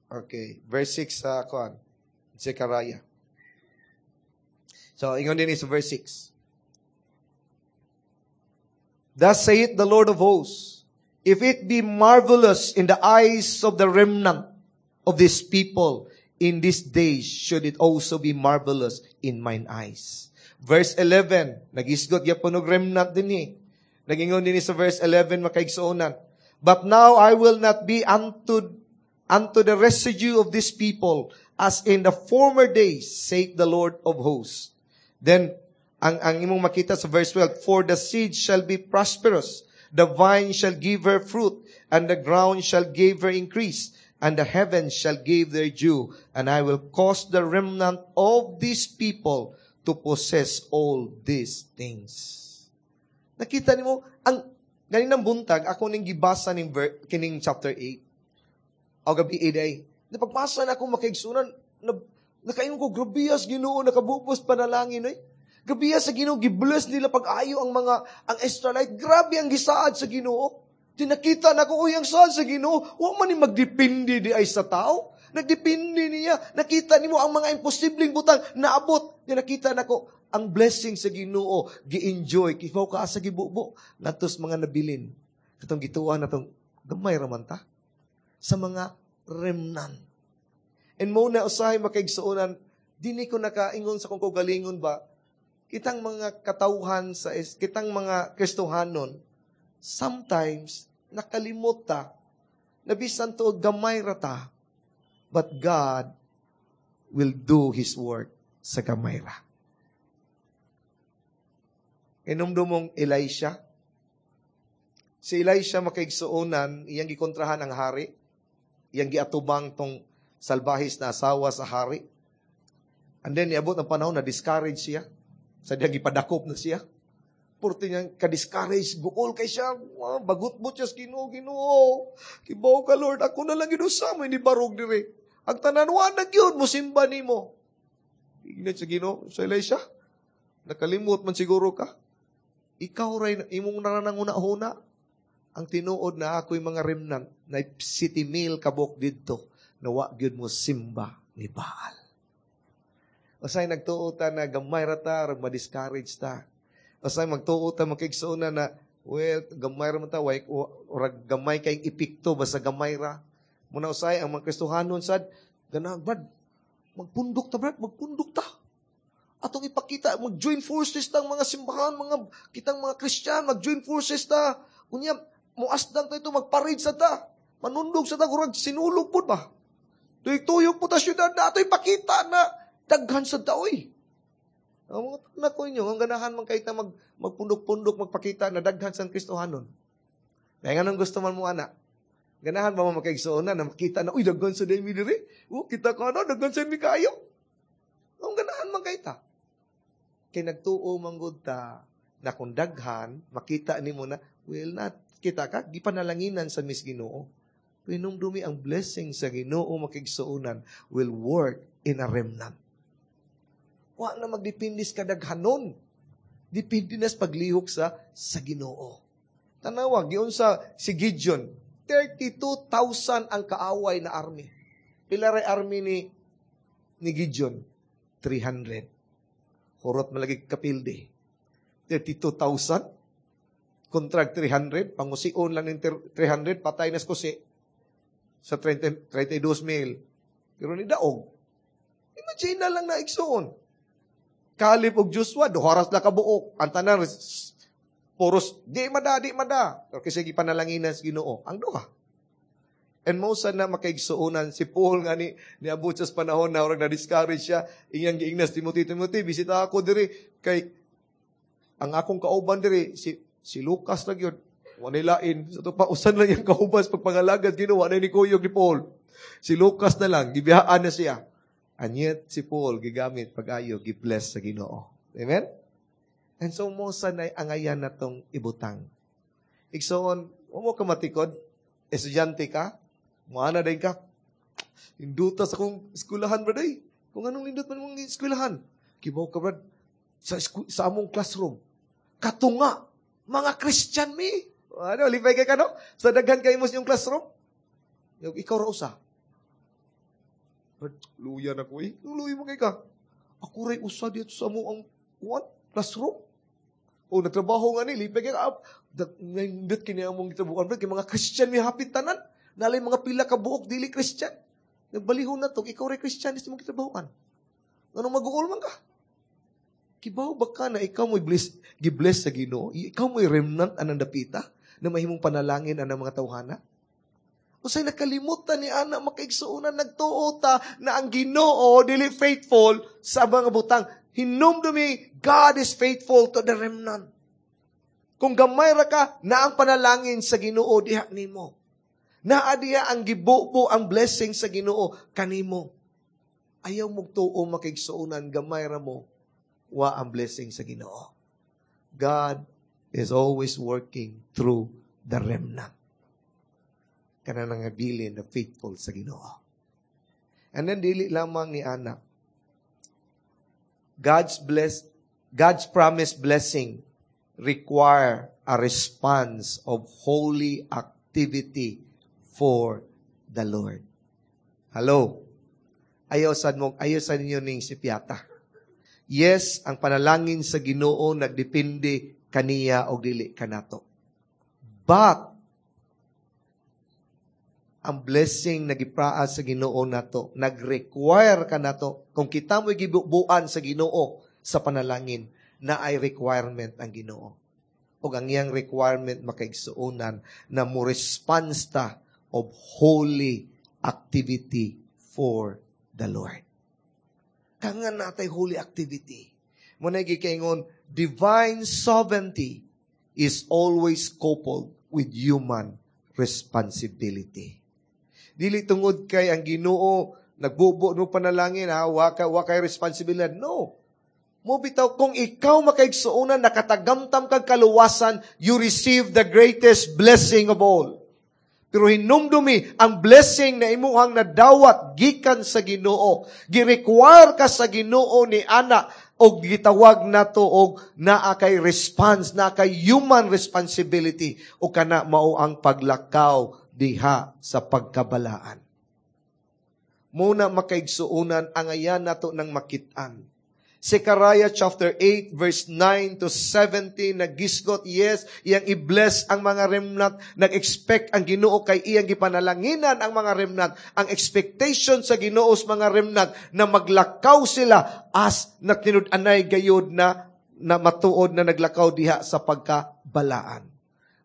Okay, verse 6 sa kuan, Zechariah. So, ingon din sa verse 6. Thus saith the Lord of hosts, if it be marvelous in the eyes of the remnant of this people, in these days should it also be marvelous in mine eyes. Verse 11, nagisgot gyapon og remnant din eh. Nagingon din sa verse 11, makaigsuonan. But now I will not be unto the residue of this people, as in the former days, saith the Lord of hosts. Then, ang imong makita sa verse 12, for the seed shall be prosperous, the vine shall give her fruit, and the ground shall give her increase, and the heavens shall give their dew, and I will cause the remnant of these people to possess all these things. Nakita nimo, ang ganinang buntag, ako ning gibasa ning kining chapter 8. O gabi day. Napagpasa na akong makaigsunan, nakaingon ko, grabiyas Ginoo, nakabupos panalangin, oy. Grabiyas sa Ginoo, gibless nila pag-ayo ang mga, ang Israelite. Grabe ang gisaad sa Ginoo. Tinakita na ko, uy, ang saad sa Ginoo. Wa man ni magdepende di ay sa tao. Nagdepende niya. Nakita nimo ang mga imposibleng butang naabot. Tinakita na ko, ang blessing sa Ginoo, gi-enjoy. Kifaw ka sa gibubo. Natos mga nabilin. Katong gituan natong gamay raman ta. Sa mga remnant. And mo na usahay makaigsuonan, dini ko nakaingon sa kung kaugalingon ba, kitang mga katawhan sa kitang mga Kristohanon, sometimes nakalimot ta, na bisan tuod gamay ra ta, but God will do His work sa gamay ra. Inumdumong Elisha. Si Elisha makaigsuonan, iyang gikontrahan ang hari, iyang giatubang tong salbahis na asawa sa hari. And then, niabot ang panahon na discourage siya. Sa diyang gipadakop na siya. Purti niyang ka-discourage, guol kay siya, bagot-bot siya sa Ginoo, Ginoo. Kibaw ka, Lord, ako na lang ginusama, hindi barog diri. Ang tanan, wa na gyud, musimba nimo. Ignat sa Ginoo, sa Elisha, nakalimot man siguro ka. Ikaw ray, imong narananguna-huna. Ang tinuod na ako'y mga remnant, na 7,000 kabok didto, na wa gyud mo simba ni Baal. Usay nagtuo ta na gamay ra ta, rag ma-discourage ta. Usay magtuo ta makigsuon na, well, gamay ra man ta, way, rag gamay kay epekto basta gamay ra. Muna usay ang mga Kristohanon sad, ganang brad, magpundok ta brad, magpundok ta. Atong ipakita, mag-join forces ta ang mga simbahan, mga kitang mga Kristiyan, mag-join forces ta. Unya, muasdang ta ito, magparade sa ta. Manundog sa tagurag, sinulog po ba? Tuyog-tuyog po ta syudad na ato'y pakita na daghan sa daoy. Ang mga anak ko inyo, ang ganahan man kahit na magpundok-pundok, magpakita na daghan sa Kristohanon. Kaya nga nang gusto man mo, anak, ganahan ba mo makaigsuonan na makita na, uy, daghan sa daymi diri. Oh, kita ka na, daghan sa mi kayo. Ang ganahan man kay ta. Kay nagtuo man gud ta na kung daghan, makita nimo na, well, not, kita ka, gipanalanginan sa mis Ginoo. Pinumdumi ang blessing sa Ginoo makigsuonan will work in a remnant. Wa na magdepende sa kadaghanon. Depende na sa paglihok sa Ginoo. Tanawa, giunsa si Gideon, 32,000 ang kaaway na army. Pila ray army ni Gideon? 300. Hurot malagi kapildi. 32,000 kontra 300, pangusion lang ng 300, patay na kusi sa 30, 32 mil. Pero ni daog. Imagine na lang na igsuon. Caleb og Joshua, duharas la kabuok. Ang tanan, puros, di mada, di mada. Pero kasi gipanalanginan sa Ginoo, ang duha. And mo na makaigsuonan, si Paul nga ni niabot sa panahon na orang na-discourage siya, iyang giingnas, "Timothy, Timothy, bisita ako diri, kay ang akong kauban diri, si Lucas na gyud, wanilain." Sa to pa, usan lang yung kauban sa pagpangalagad, Ginoo, na ni kuyog ni Paul. Si Lucas na lang, gibiyaan na siya. And yet, si Paul, gigamit pag-ayo, gi-bless sa Ginoo. Amen? And so, mo sanay angayan na tong ibutang. Igsoon, mo ka matikod, estudyante ka, muana din ka, induta sa akong eskwelahan, brad, ay. Kung anong lindot man mong eskwelahan. Kibaw ka, brad, sa among classroom. Katunga, mga Christian mi. Ano, lipay kay ka, no? Sa daghan kayo mo sa inyong classroom. Ikaw ra usa. Brad, luya na ko eh. Luya mo kay ka. Ako ray usa dito sa mo ang what? Classroom. O, nagtrabaho nga ni, lipay kay ka. Nindot kini among gitrabuhan, brad. Kay mga Christian mi hapit tanan. Nalay mga pila ka buok, dili Christian. Nagbalihon na to, ikaw ray Christian, is mong gitrabahuan. Anong mag-uol man ka? Kibaw ba ka na ikaw mo'y bless, gibless sa Ginoo? Ikaw mo'y remnant anang dapita na mahimong panalangin anang mga tawhana? Usay nakalimutan ni ana makaigsuonan, nagtuo ta na ang Ginoo dili faithful sa mga butang. Hinumdumi, God is faithful to the remnant. Kung gamay ra ka, na ang panalangin sa Ginoo diha nimo. Naa diha ang gibubo ang blessing sa Ginoo kanimo. Ayaw mong tuo makaigsuonan, gamay ra mo, wa ang blessing sa Ginoo. God is always working through the remnant. Kana nangabilin na faithful sa Ginoo. And then dili lamang ni ana. God's promised blessing require a response of holy activity for the Lord. Hello. Ayaw sad mo, ayaw sad ninyo ning sipyata. Yes, ang panalangin sa Ginoo nagdepende kaniya o dili kanato. But ang blessing na gipraa sa Ginoo nato, nag-require kanato kung kita mo'y gibubuan sa Ginoo sa panalangin, na ay requirement ang Ginoo. O ang iyang requirement makaigsuonan na mo response ta of holy activity for the Lord. Kanga natay holy activity. Muna gikaingon, divine sovereignty is always coupled with human responsibility. Dili tungod kay ang Ginoo nagbubo no panalangin, ha, wa kay responsibilidad. No. Mo bitaw kung ikaw makaigsuonan nakatagamtam kag kaluwasan, you receive the greatest blessing of all. Pero hinumdumi ang blessing na imuhang nadawat gikan sa Ginoo. Gi-require ka sa Ginoo ni ana og gitawag nato og naa kay response, naa kay human responsibility o kana mao ang paglakaw diha sa pagkabalaan. Muna makaigsuonan ang ayan nato ng makit-an. Zechariah chapter 8 verse 9 to 17 nagisgot, yes, iyang i-bless ang mga remnant, nag-expect ang Ginoo kay iyang gipanalanginan ang mga remnant. Ang expectation sa Ginoo sa mga remnant na maglakaw sila as nagtinud-anay gayud na matuod na naglakaw diha sa pagkabalaan.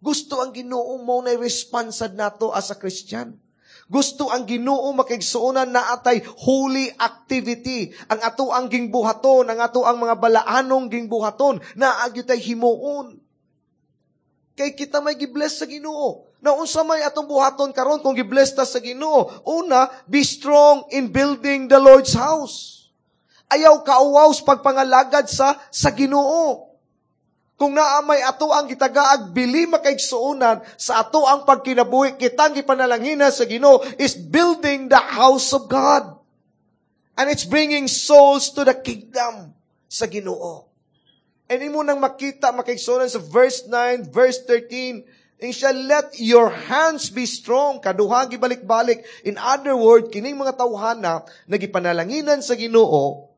Gusto ang Ginoo mo na responsad nato as a Christian. Gusto ang Ginoo, makaigsuonan, na atay holy activity. Ang ato ang gingbuhaton, ang ato ang mga balaanong gingbuhaton, na tay himuon. Kay kita may gibless sa Ginoo. Na unsa may atong buhaton karon kung gibless ta sa Ginoo? Una, be strong in building the Lord's house. Ayaw kauwaw sa pagpangalagad sa Ginoo. Kung naa may ato ang gitagaag bili, makaigsuonan, sa ato ang pagkinabuhi, kitang gipanalangina sa Ginoo is building the house of God. And it's bringing souls to the kingdom sa Ginoo. And imo nang makita, makaigsuonan, sa verse 9, verse 13, and shall let your hands be strong. Kaduha gibalik-balik. In other words, kining mga tawhana nagipanalanginan sa Ginoo,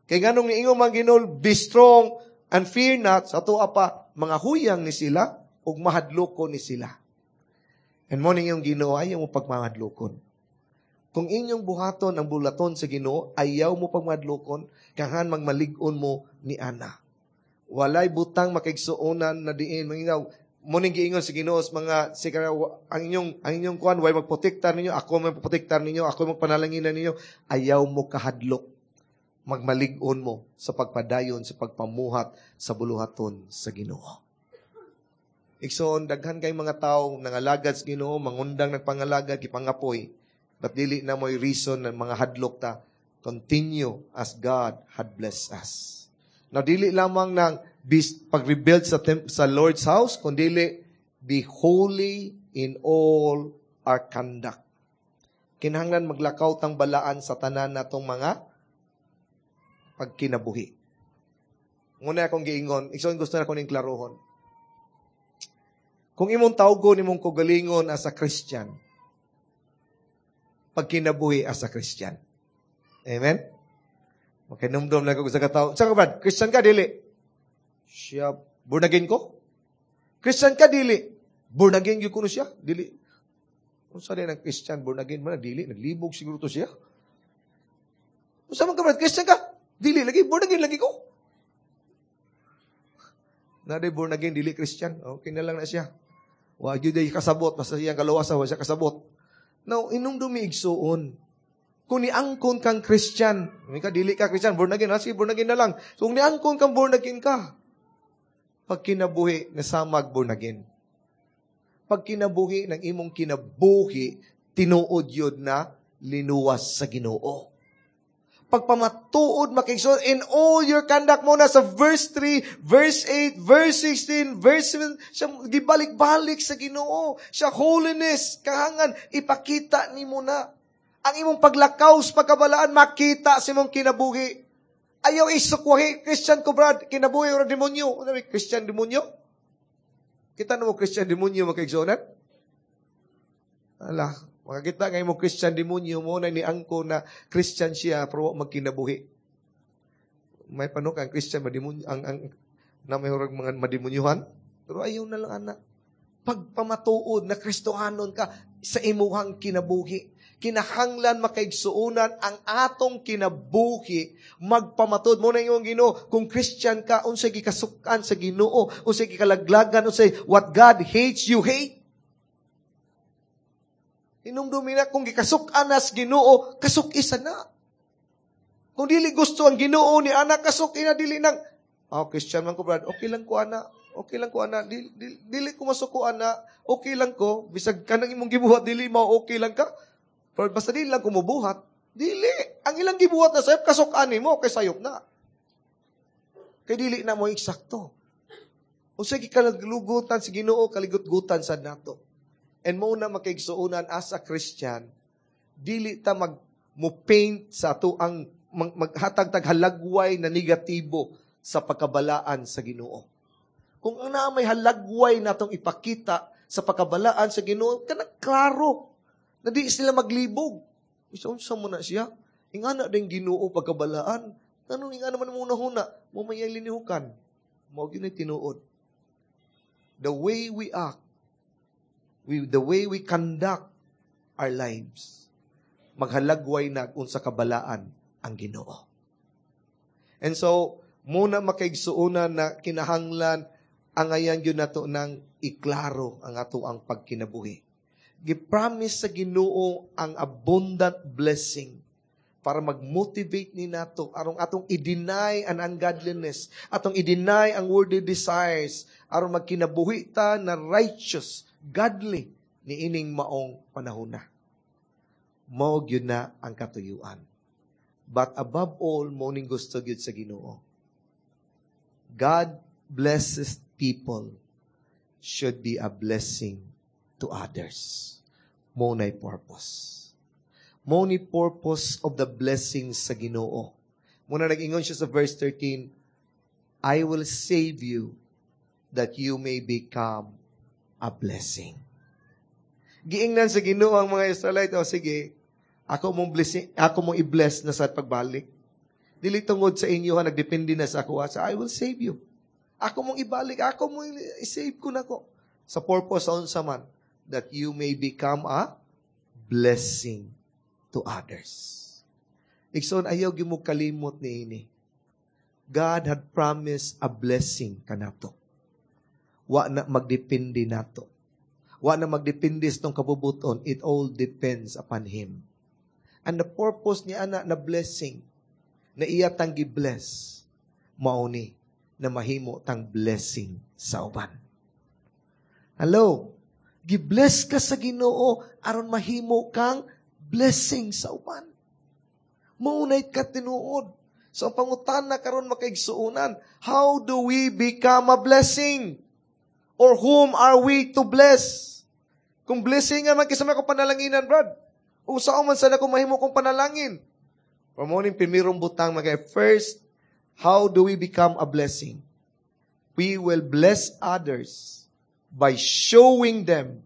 kay nganong niingon man Ginoo, "Be strong and fear not," sa ato pa, mga huyang ni sila, ug mahadloko ni sila. And mo ning yung Ginoo, ayaw mo pagmahadlokon. Kung inyong buhaton ang bulaton sa Ginoo, ayaw mo pagmahadlokon, kahan magmalig-on mo ni ana. Walay butang, makaigsuonan, na diin mangingaw mo ning giingon sa Ginoo sa mga sikara, ang inyong kuan way magprotektar ninyo, ako may magprotektar ninyo, ako magpanalanginan ninyo. Ayaw mo kahadlok, magmalig-on mo sa pagpadayon sa pagpamuhat sa buluhaton sa Ginoo. Igsoon, daghan kay mga tao nangalagad sa Ginoo, mangundang nagpangalagad, gipangapoy. But dili na mo'y reason ng mga hadlok ta. Continue as God had blessed us. Now, dili lamang ng pag-rebuild sa Lord's house, kundi be holy in all our conduct. Kinahanglan maglakaw tang balaan sa tanan natong mga pagkinabuhi. Muna akong giingon, igsoon, gusto na ko ning klarohon. Kung imong tawgon imong kaugalingon as a Christian, pagkinabuhi as a Christian. Amen? Makinumdum lang ko sa katao. Sa ka, Christian ka, dili? Siya, born again ko? Christian ka, dili? Born again gyud kuno siya? Dili. Kung sa ang Christian, born again man, dili. Naglibog siguro to siya. Kung sa man ka, Christian ka? Dili lagi, born again lagi ko. Na born again, dili Christian. Okay na lang na siya. Wa gyud ay kasabot, basta siyang kalawasa, wa siya kasabot. Now, inumdumi, igsuon. Kung niangkon kang Christian, may ka dili ka Christian, born again, ha? Sige, born again na lang. So, kung niangkon kang born again ka, pag kinabuhi na samag born again. Pag kinabuhi ng imong kinabuhi, tinuod yun na linuwas sa Ginoo. Pagpamatuod, makaigsoon, in all your conduct mo na sa verse 3, verse 8, verse 16, verse 7, siya gibalik-balik sa Ginoo. Siya holiness, kahangan, ipakita nimo na. Ang imong paglakaw sa pagkabalaan, makita sa imong kinabuhi. Ayaw isukwahi, "Christian ko, Brad," kinabuhi ora demonyo. Ano may Christian demonyo? Kita na mo Christian demonyo, makaigsuonan? Ala, makakita nga mo Christian demonyo mo na ni angko na Christian siya pero wa magkinabuhi. May panok ang Christian mademonyo ang na may hurag mga mademonyuhan. Pero ayaw na lang ana. Pagpamatuod na Kristohanon ka sa imuhang kinabuhi. Kinahanglan, makaigsuonan, ang atong kinabuhi magpamatuod mo na iyong Ginoo. Kung Christian ka, unsay gikasukan sa Ginoo, unsay gikalaglagan, unsay what God hates, you hate. Inumdumi na kung gikasuk-an nas Ginoo, kasuk-isa na. Kung dili gusto ang Ginoo ni ana, kasuk ina. Dili nang, "Oh, Christian man ko, Brad, okay lang ko ana. Okay lang ko ana, dili, dili, dili ko masuko ana, okay lang ko," bisag kanang imong gibuhat dili mo okay lang ka. Pero basta dili lang kumubuhat, dili. Ang ilang gibuhat na sayop, kasuk-an nimo kay sayop na. Kay dili na mo eksakto. Unsay gikalaglugutan sa Ginoo, kaligutgutan sa nato. And mo na, makaigsuonan, as a Christian, dili ta mag mo paint sa ato ang maghatag tag halagway na negatibo sa pagkabalaan sa Ginoo. Kung ang naa may halagway natong ipakita sa pagkabalaan sa Ginoo, kanang klaro na di sila maglibog. Isa unsa mo na siya? Ingana din Ginoo pagkabalaan. Anong ingana man mo huna? Mo may linihukan. Mao gyud tinuod. The way we act, the way we conduct our lives, maghalagway na unsa kabalaan ang Ginoo. And so, muna, makaigsuonan, na kinahanglan angayan gyud nato ng Iklaro ang ato ang pagkinabuhi. Gipromise sa Ginoo ang abundant blessing para mag-motivate ni nato aron atong i-deny ang ungodliness, atong i-deny ang worldly desires, aron magkinabuhi ta na righteous, godly niining maong panahona. Mao gyud na ang katuyuan. But above all, mao ning gusto gyud sa Ginoo. God blesses people should be a blessing to others. Mao na'y purpose. Mao ni purpose of the blessing sa Ginoo. Mao na nag-ingon siya sa verse 13, "I will save you that you may become a blessing." Giingnan sa Ginoo ang mga Israelite, "O sige, ako mong blessing, ako mong i-bless na sa pagbalik. Dili tungod sa inyo ha, nagdepende na sa ako. Sa I will save you. Ako mong ibalik, ako mong i-save ko nako." Sa purpose sa unsa man, that you may become a blessing to others. Igsoon, ayaw gyud mo kalimot ni ini. God had promised a blessing kanato. Wa na magdepende nato. Wa na magdepende sa tong kabubuton. It all depends upon Him. And the purpose niya ana na blessing, na iya tang gi-bless, mao ni na mahimo tang blessing sa uban. Hello? Gi-bless ka sa Ginoo aron mahimo kang blessing sa uban. Mao na'y katinuod. So ang pangutana karon, makaigsuonan, how do we become a blessing? Or whom are we to bless? Kung blessing nga man kinsa man ko panalanginan, brad. Unsaon man sad ako mahimo kong panalangin? For mao ning primerong butang mga, first, how do we become a blessing? We will bless others by showing them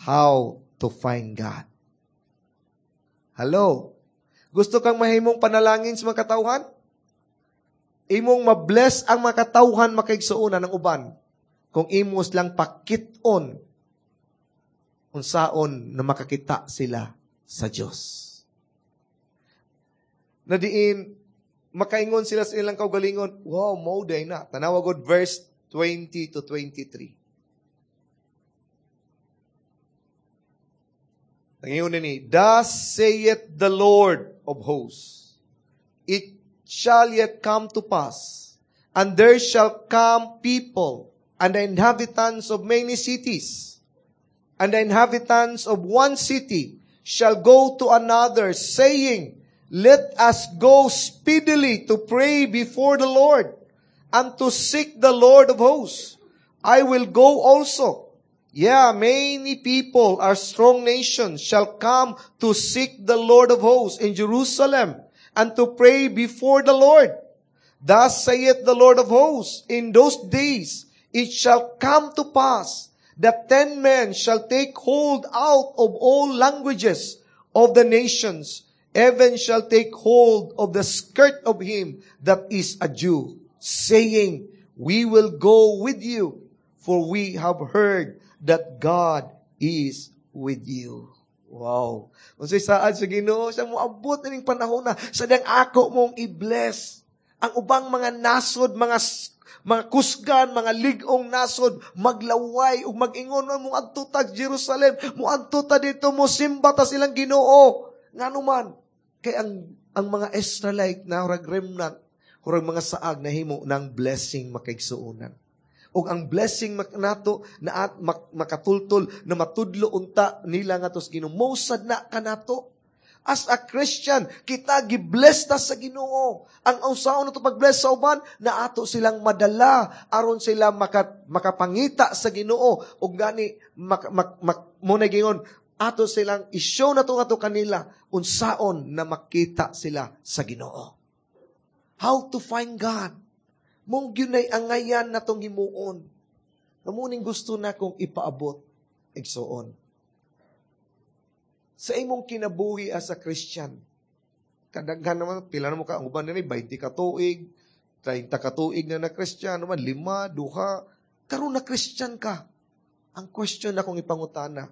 how to find God. Hello? Gusto kang mahimong panalangin sa mga katawhan? Imong mabless ang mga katawhan, makaigsuonan ng uban, kung imos lang pakit-on unsaon na makakita sila sa Dios. Na diin, makaingon sila sa ilang kaugalingon, "Wow, mao diay na." Tanawa god verse 20 to 23. Nangingon ni, "Thus saith the Lord of hosts, it shall yet come to pass, and there shall come people, and the inhabitants of many cities, and the inhabitants of one city shall go to another, saying, 'Let us go speedily to pray before the Lord, and to seek the Lord of hosts. I will go also.' Yeah, many people, our strong nations, shall come to seek the Lord of hosts in Jerusalem and to pray before the Lord. Thus saith the Lord of hosts, in those days it shall come to pass that 10 men shall take hold out of all languages of the nations, even shall take hold of the skirt of him that is a Jew, saying, 'We will go with you, for we have heard that God is with you.'" Wow. Unsay saad sa Ginoo, sa moabot ining panahon na sa dang ako mong i-bless ang ubang mga nasod, mga kusgan, mga lig-ong nasod, maglaway ug mag-ingon, "Mo adto ta Jerusalem, mo adto ta dito, mo simba ta silang Ginoo." Ngano man kay ang mga Israelite na murag remnant, murag mga saag, nahimo ng blessing, makaigsuonan. Ug ang blessing nato na at makatultol na matudlo unta nila nga tos Ginoo. Mao sad na kanato. As a Christian, kita gi-bless ta sa Ginoo. Ang unsaon nato pag-bless sa uban, na ato silang madala aron sila makapangita sa Ginoo ug gani mo na gingon ato silang i-show nato ato kanila unsaon na makita sila sa Ginoo. How to find God. Mao gyud nay angayan natong himuon. Mao ning gusto na kong ipaabot, igsuon. Sa imong kinabuhi as a Christian, kadaghan naman, pila na mo ka, ang uban nila, 20 ka tuig, 30 ka tuig na na Christian, naman, lima, duha, karon na Christian ka. Ang question na kong ipangutana,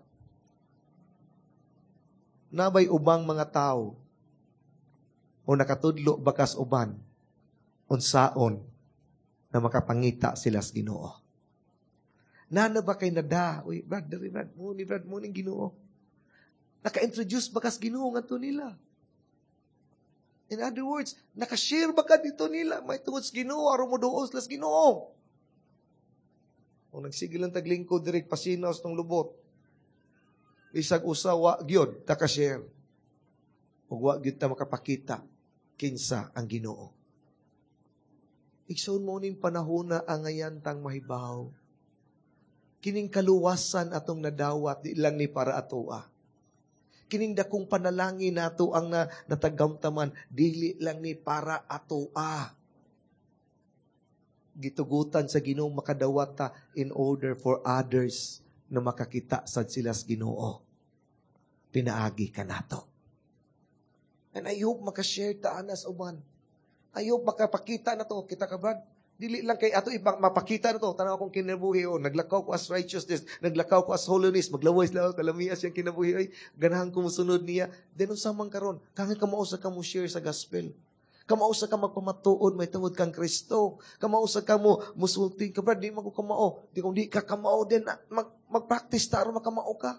nabay ubang mga tao o nakatudlo bakas uban, unsaon na makapangita sila sa Ginoo? Nana ba kay nada? Uy, Brad, dali, Brad, mo ni Brad, mo ning Ginoo. Naka-introduce ba kas Ginoo ngadto nila? In other words, naka-share ba ka dito nila? May tungod sa Ginoo, aron mo duol sila sa Ginoo. Kung nagsige lang taglingkod diri pasinaw sa tong lubot. Bisag usa wa gyud ta ka-share. Ug wa gyud ta makapakita kinsa ang Ginoo. Igsoon, mo ning panahona angayan tang mahibaw. Kining kaluwasan atong nadawat, di lang ni para atoa. Kining dakong panalangin nato ang natagamtaman, dili lang ni para atoa. Gitugutan sa Ginoo makadawat ta in order for others na makakita sad sila sa Ginoo. Pinaagi ka nato. And I hope makashare ta ana sa uban. I hope makapakita na to. Kita ka, Brad? Dili lang kay ato ibang mapakita na to. Tanaw akong kinabuhi. Oh, naglakaw ko as righteousness. Naglakaw ko as holiness. Maglaway sila. Kalamias yung kinabuhi. Ay, ganahan ko musunod niya. Then, unsa man karon, kangay kamao sa ka mo share sa gospel. Kamao sa ka magpamatuod, may tungod kang Kristo. Kamao sa ka mo musulti ka, Brad, di man ko kamao. Di kung di ka kamao din, mag-practice ta aron makamao ka.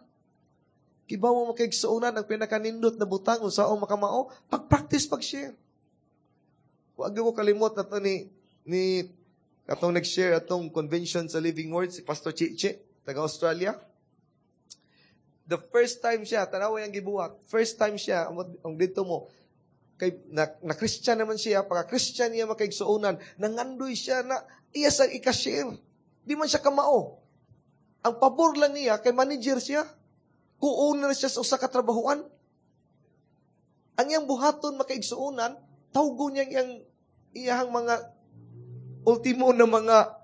Kibaw mo makaigsuonan ang pinakanindot na butang unsaon makamao, pag-practice, pag-share. Wag ko kalimot na to ni katong nag-share atong convention sa Living Word, si Pastor Chiche, taga Australia. The first time siya, tanawa yung gibuhat, first time siya, ang dito mo, kay na Christian naman siya, pagka Christian niya makaigsuonan, nangandoy siya na iya sa ika-share. Di man siya kamao. Ang pabor lang niya, kay manager siya. Co-owner siya sa usa ka trabahuan. Ang iyang buhaton makaigsuonan, tawgo niya iyang iyang mga ultimo na mga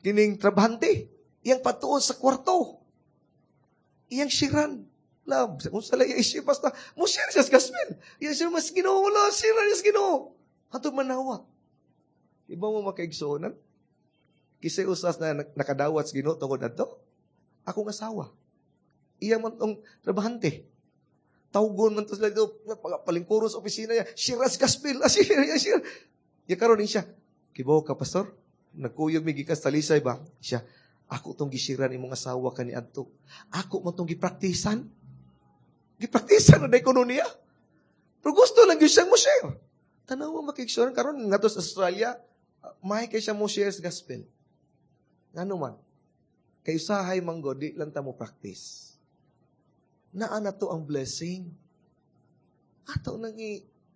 kining trabahante. Iyang patuon sa kwarto. Iyang shiran. Love, kung sa laya issue, basta, mo share siya sa gospel. Iyang share, mas Ginoo, wala, share niya sa Ginoo. Hantod manawat. Iba mo makaigsuonan? Kisay usas na nakadawat sa Ginoo tungod adto? Akong asawa. Iya man tong trabahante. Tawgon man to sila dito, palingkuro sa opisina niya, share sa gospel, ah, share, share. Ya karon siya, kibaw ka, Pastor? Nagkuyog mi gikas Talisay ba? Siya, ako tong gisiran imong asawa kani adto. Ako man tong gipraktisan. Gipraktisan na kuno niya. Pero gusto lang gyud siyang mo share. Tanawa makigsuran karon ngadto sa Australia, may kay siya mo share sa gospel. Ngano man? Kay usahay man gud, di lang ta mo practice. Naa na to ang blessing. Ato nang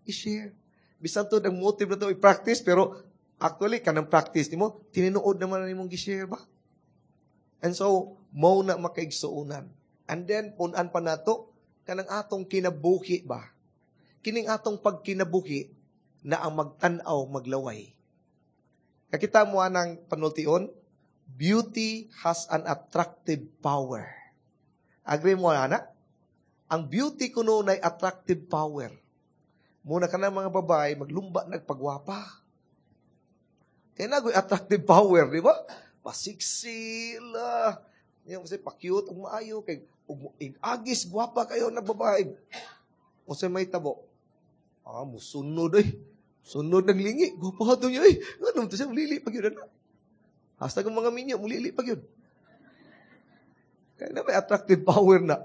i-share. Bisan to ang motive na to i-practice, pero actually, kanang practice nimo, tinuod naman na nimong gi-share ba? And so, mo na makaigsuonan. And then, punan pa nato, kanang atong kinabuhi ba? Kining atong pagkinabuhi na ang magtan-aw maglaway. Kakita mo anang panultion, beauty has an attractive power. Agree mo, ana? Ang beauty kuno nay attractive power. Muna ka na mga babae, maglumba nagpagwapa. Kaya nagoy attractive power, di ba? Pasiksila. Yung kasi pa-cute, ug maayo, kay ug agis, gwapa kayo na babae. O sa may tabo, musunod ay. Sunod naglingi. Gwapa to niya ay. Ano to siya, mulili pag yun na. Hasta ang mga minyo, mulili pag yun. Kaya na may attractive power na.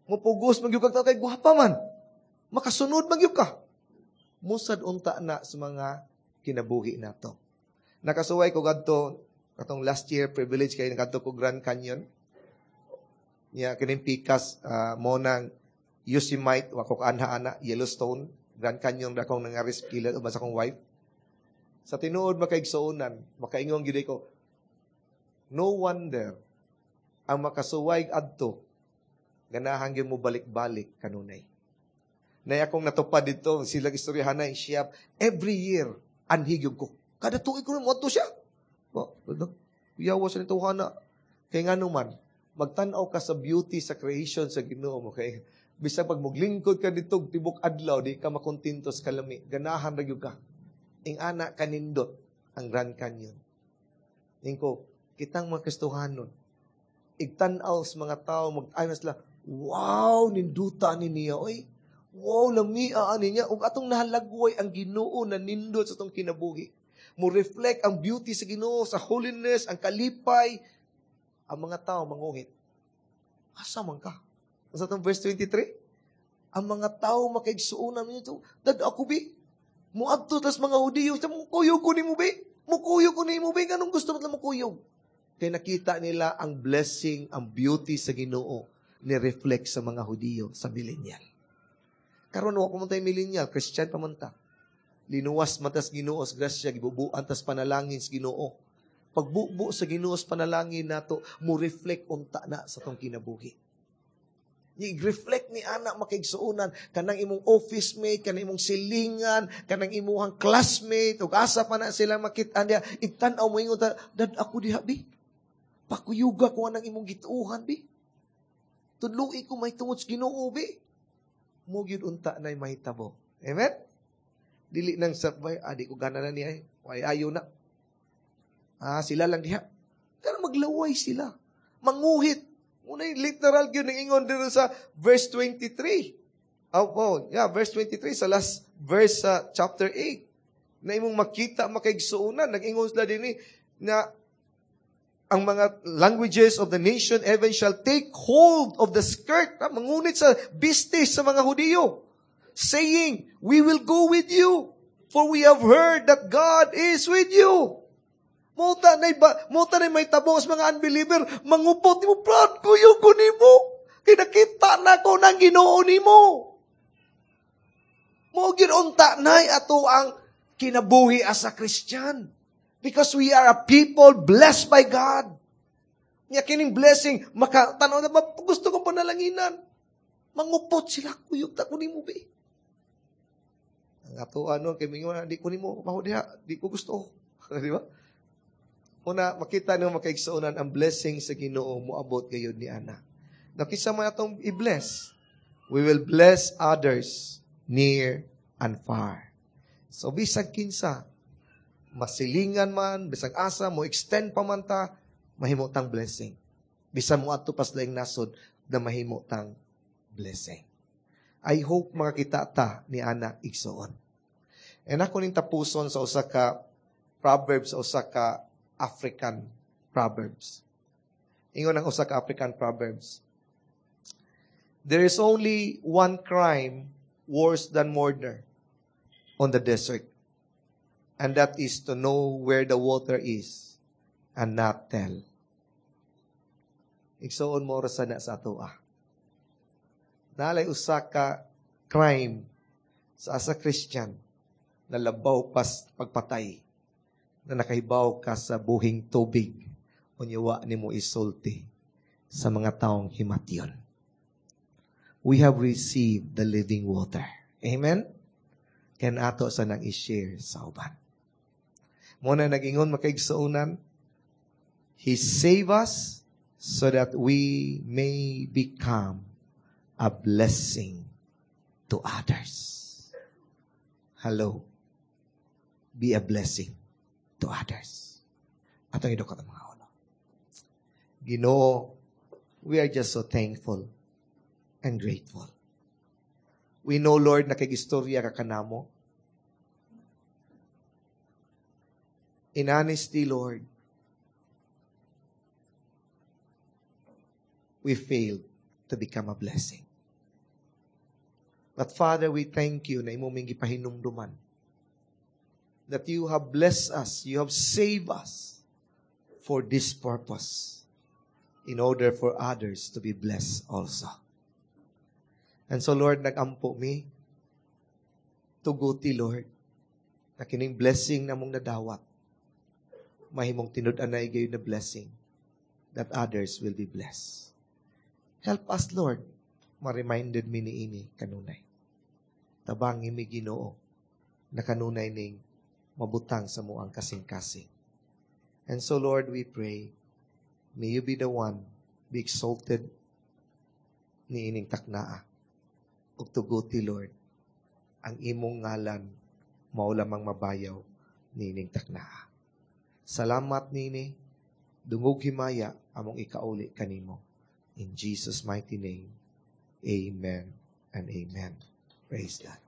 Mupugos magyud kag kay gwapa man. Makasunod magyud ka. Musad unta na sa mga kinabuhi nato. Nakasuway ko gadto katong last year, privilege kay ngadto ko Grand Canyon. Niya kining pikas mo nang Yosemite, wa ko kaanha ana, Yellowstone, Grand Canyon ra akong nangaris kilad uban sa akong wife. Sa tinuod makaigsuonan, makaingon gyud ko, no wonder ang makasuway adto ganahan gyud mo balik-balik kanunay. Nay akong natupad dito, sila istoryahan na siya every year anhi gyud ko. Kada tuig ko mo siya. Bo, yawa sa nito na. Kay ngano man, magtan-aw ka sa beauty sa creation sa Ginoo mo kay bisag pag moglingkod ka dito tibok adlaw di ka makontento sa kalami, ganahan ra gyud ka. Ing ana kanindot ang Grand Canyon. Ingko, kitang mga Kristohanon, igtan-aw sa mga tao, mag-ayon sila, wow, ninduta ni niya, oy. Wow, lamia ani niya. Ug atong nahalagway ang Ginoo na nindot sa atong kinabuhi. Mo reflect ang beauty sa Ginoo, sa holiness, ang kalipay. Ang mga tao manguhit. Asa man ka? Sa atong verse 23? Ang mga tao makaigsuonan nito. Dad ako bi. Muadto tas mga Hudiyo. Mukuyog ko nimo bi. Mukuyog ko nimo bi. Ganong gusto mo mukuyog? Kay nakita nila ang blessing, ang beauty sa Ginoo ni reflect sa mga Hudiyo sa millennial. Karon wa pa man tayo millennial, Christian pa man ta. Linuwas man tas Ginoo sa grasya, gibubuan tas panalangin sa Ginoo. Pagbubo sa Ginoo sa panalangin nato, mo reflect unta na sa tong kinabuhi. I-reflect ni ana makaigsuonan kanang imong office mate, kanang imong silingan, kanang imuhang classmate, ug asa pa na sila makit-an diha, igtan-aw mo ingon ta, dad ako diha bi. Pakuyuga ko anang imong gituohan bi. Tudloi ko may tungod sa Ginoo bi. Mo gyud unta nay mahitabo. Amen? Dili nang sabay, di ko gana na niya eh. Way ayo na. Sila lang diha. Pero maglaway sila. Manguhit. Muna yung literal yun ang ingon dito sa verse 23. Oh, yeah, verse 23 sa last verse sa chapter 8. Na imong makita, makaigsuonan. Nag-ingon sila din eh, na ang mga languages of the nation even shall take hold of the skirt. Mangunit sa bistis sa mga Hudiyo. Saying, "We will go with you, for we have heard that God is with you." Muta na ba, muta na may tabong sa mga unbeliever, mangupot nimo, proud ko yung ko nimo. Kinakita na ko ng Ginoo nimo. Mo unta nay ato ang kinabuhi as a Christian. Because we are a people blessed by God. Nya kining blessing, makatanaw na ba, gusto kong panalanginan. Mangupot sila, kuyog ta ko nimo be. Ang ato ano, kay mingon, di ko nimo, maho diha, di ko gusto. Di ba? Una, makita nyo makaigsuonan ang blessing sa Ginoo moabot gayud ni ana. Now, kinsa man atong i-bless, we will bless others near and far. So, bisag kinsa, masilingan man, bisag asa, mo extend pa man ta, mahimo tang blessing. Bisan mo adto pas laing nasod, na mahimo tang blessing. I hope makakita ta ni ana igsuon. And ako ning tapuson sa usa ka proverbs, sa usa ka African proverbs. Ingon ang usa ka African proverbs. "There is only one crime worse than murder on the desert, and that is to know where the water is and not tell." Igsuon mo ra na sa atoa. Nalay usa ka crime sa asa Christian na labaw pas pagpatay na nakahibaw ka sa buhing tubig unya wa nimo isulti sa mga taong himatyon. We have received the living water. Amen? Ken ato sa nang i-share sa uban. Muna nag-ingon makaigsuonan, He save us so that we may become a blessing to others. Hello. Be a blessing to others. Atong idukot ang mga ulo. Ginoo, we are just so thankful and grateful. We know, Lord, na kay-istorya ka kanamo. In honesty, Lord, we failed to become a blessing. But Father, we thank you na imo ming gipahinumduman that you have blessed us, you have saved us for this purpose, in order for others to be blessed also. And so, Lord, nag-ampo mi, tuguti, Lord, na kining blessing na mong nadawat, mahimong tinud-anay gayon na blessing, that others will be blessed. Help us, Lord, ma-reminded mi niini kanunay. Tabangi mi Ginoo, na kanunay ning mabutang sa muang kasing-kasing. And so, Lord, we pray, may you be the one, be exalted niining taknaa. Ug tuguti, Lord, ang imong ngalan mao lamang mabayaw niining taknaa. Salamat nini, dungog himaya among ikauli kanimo. In Jesus' mighty name, amen and amen. Praise God.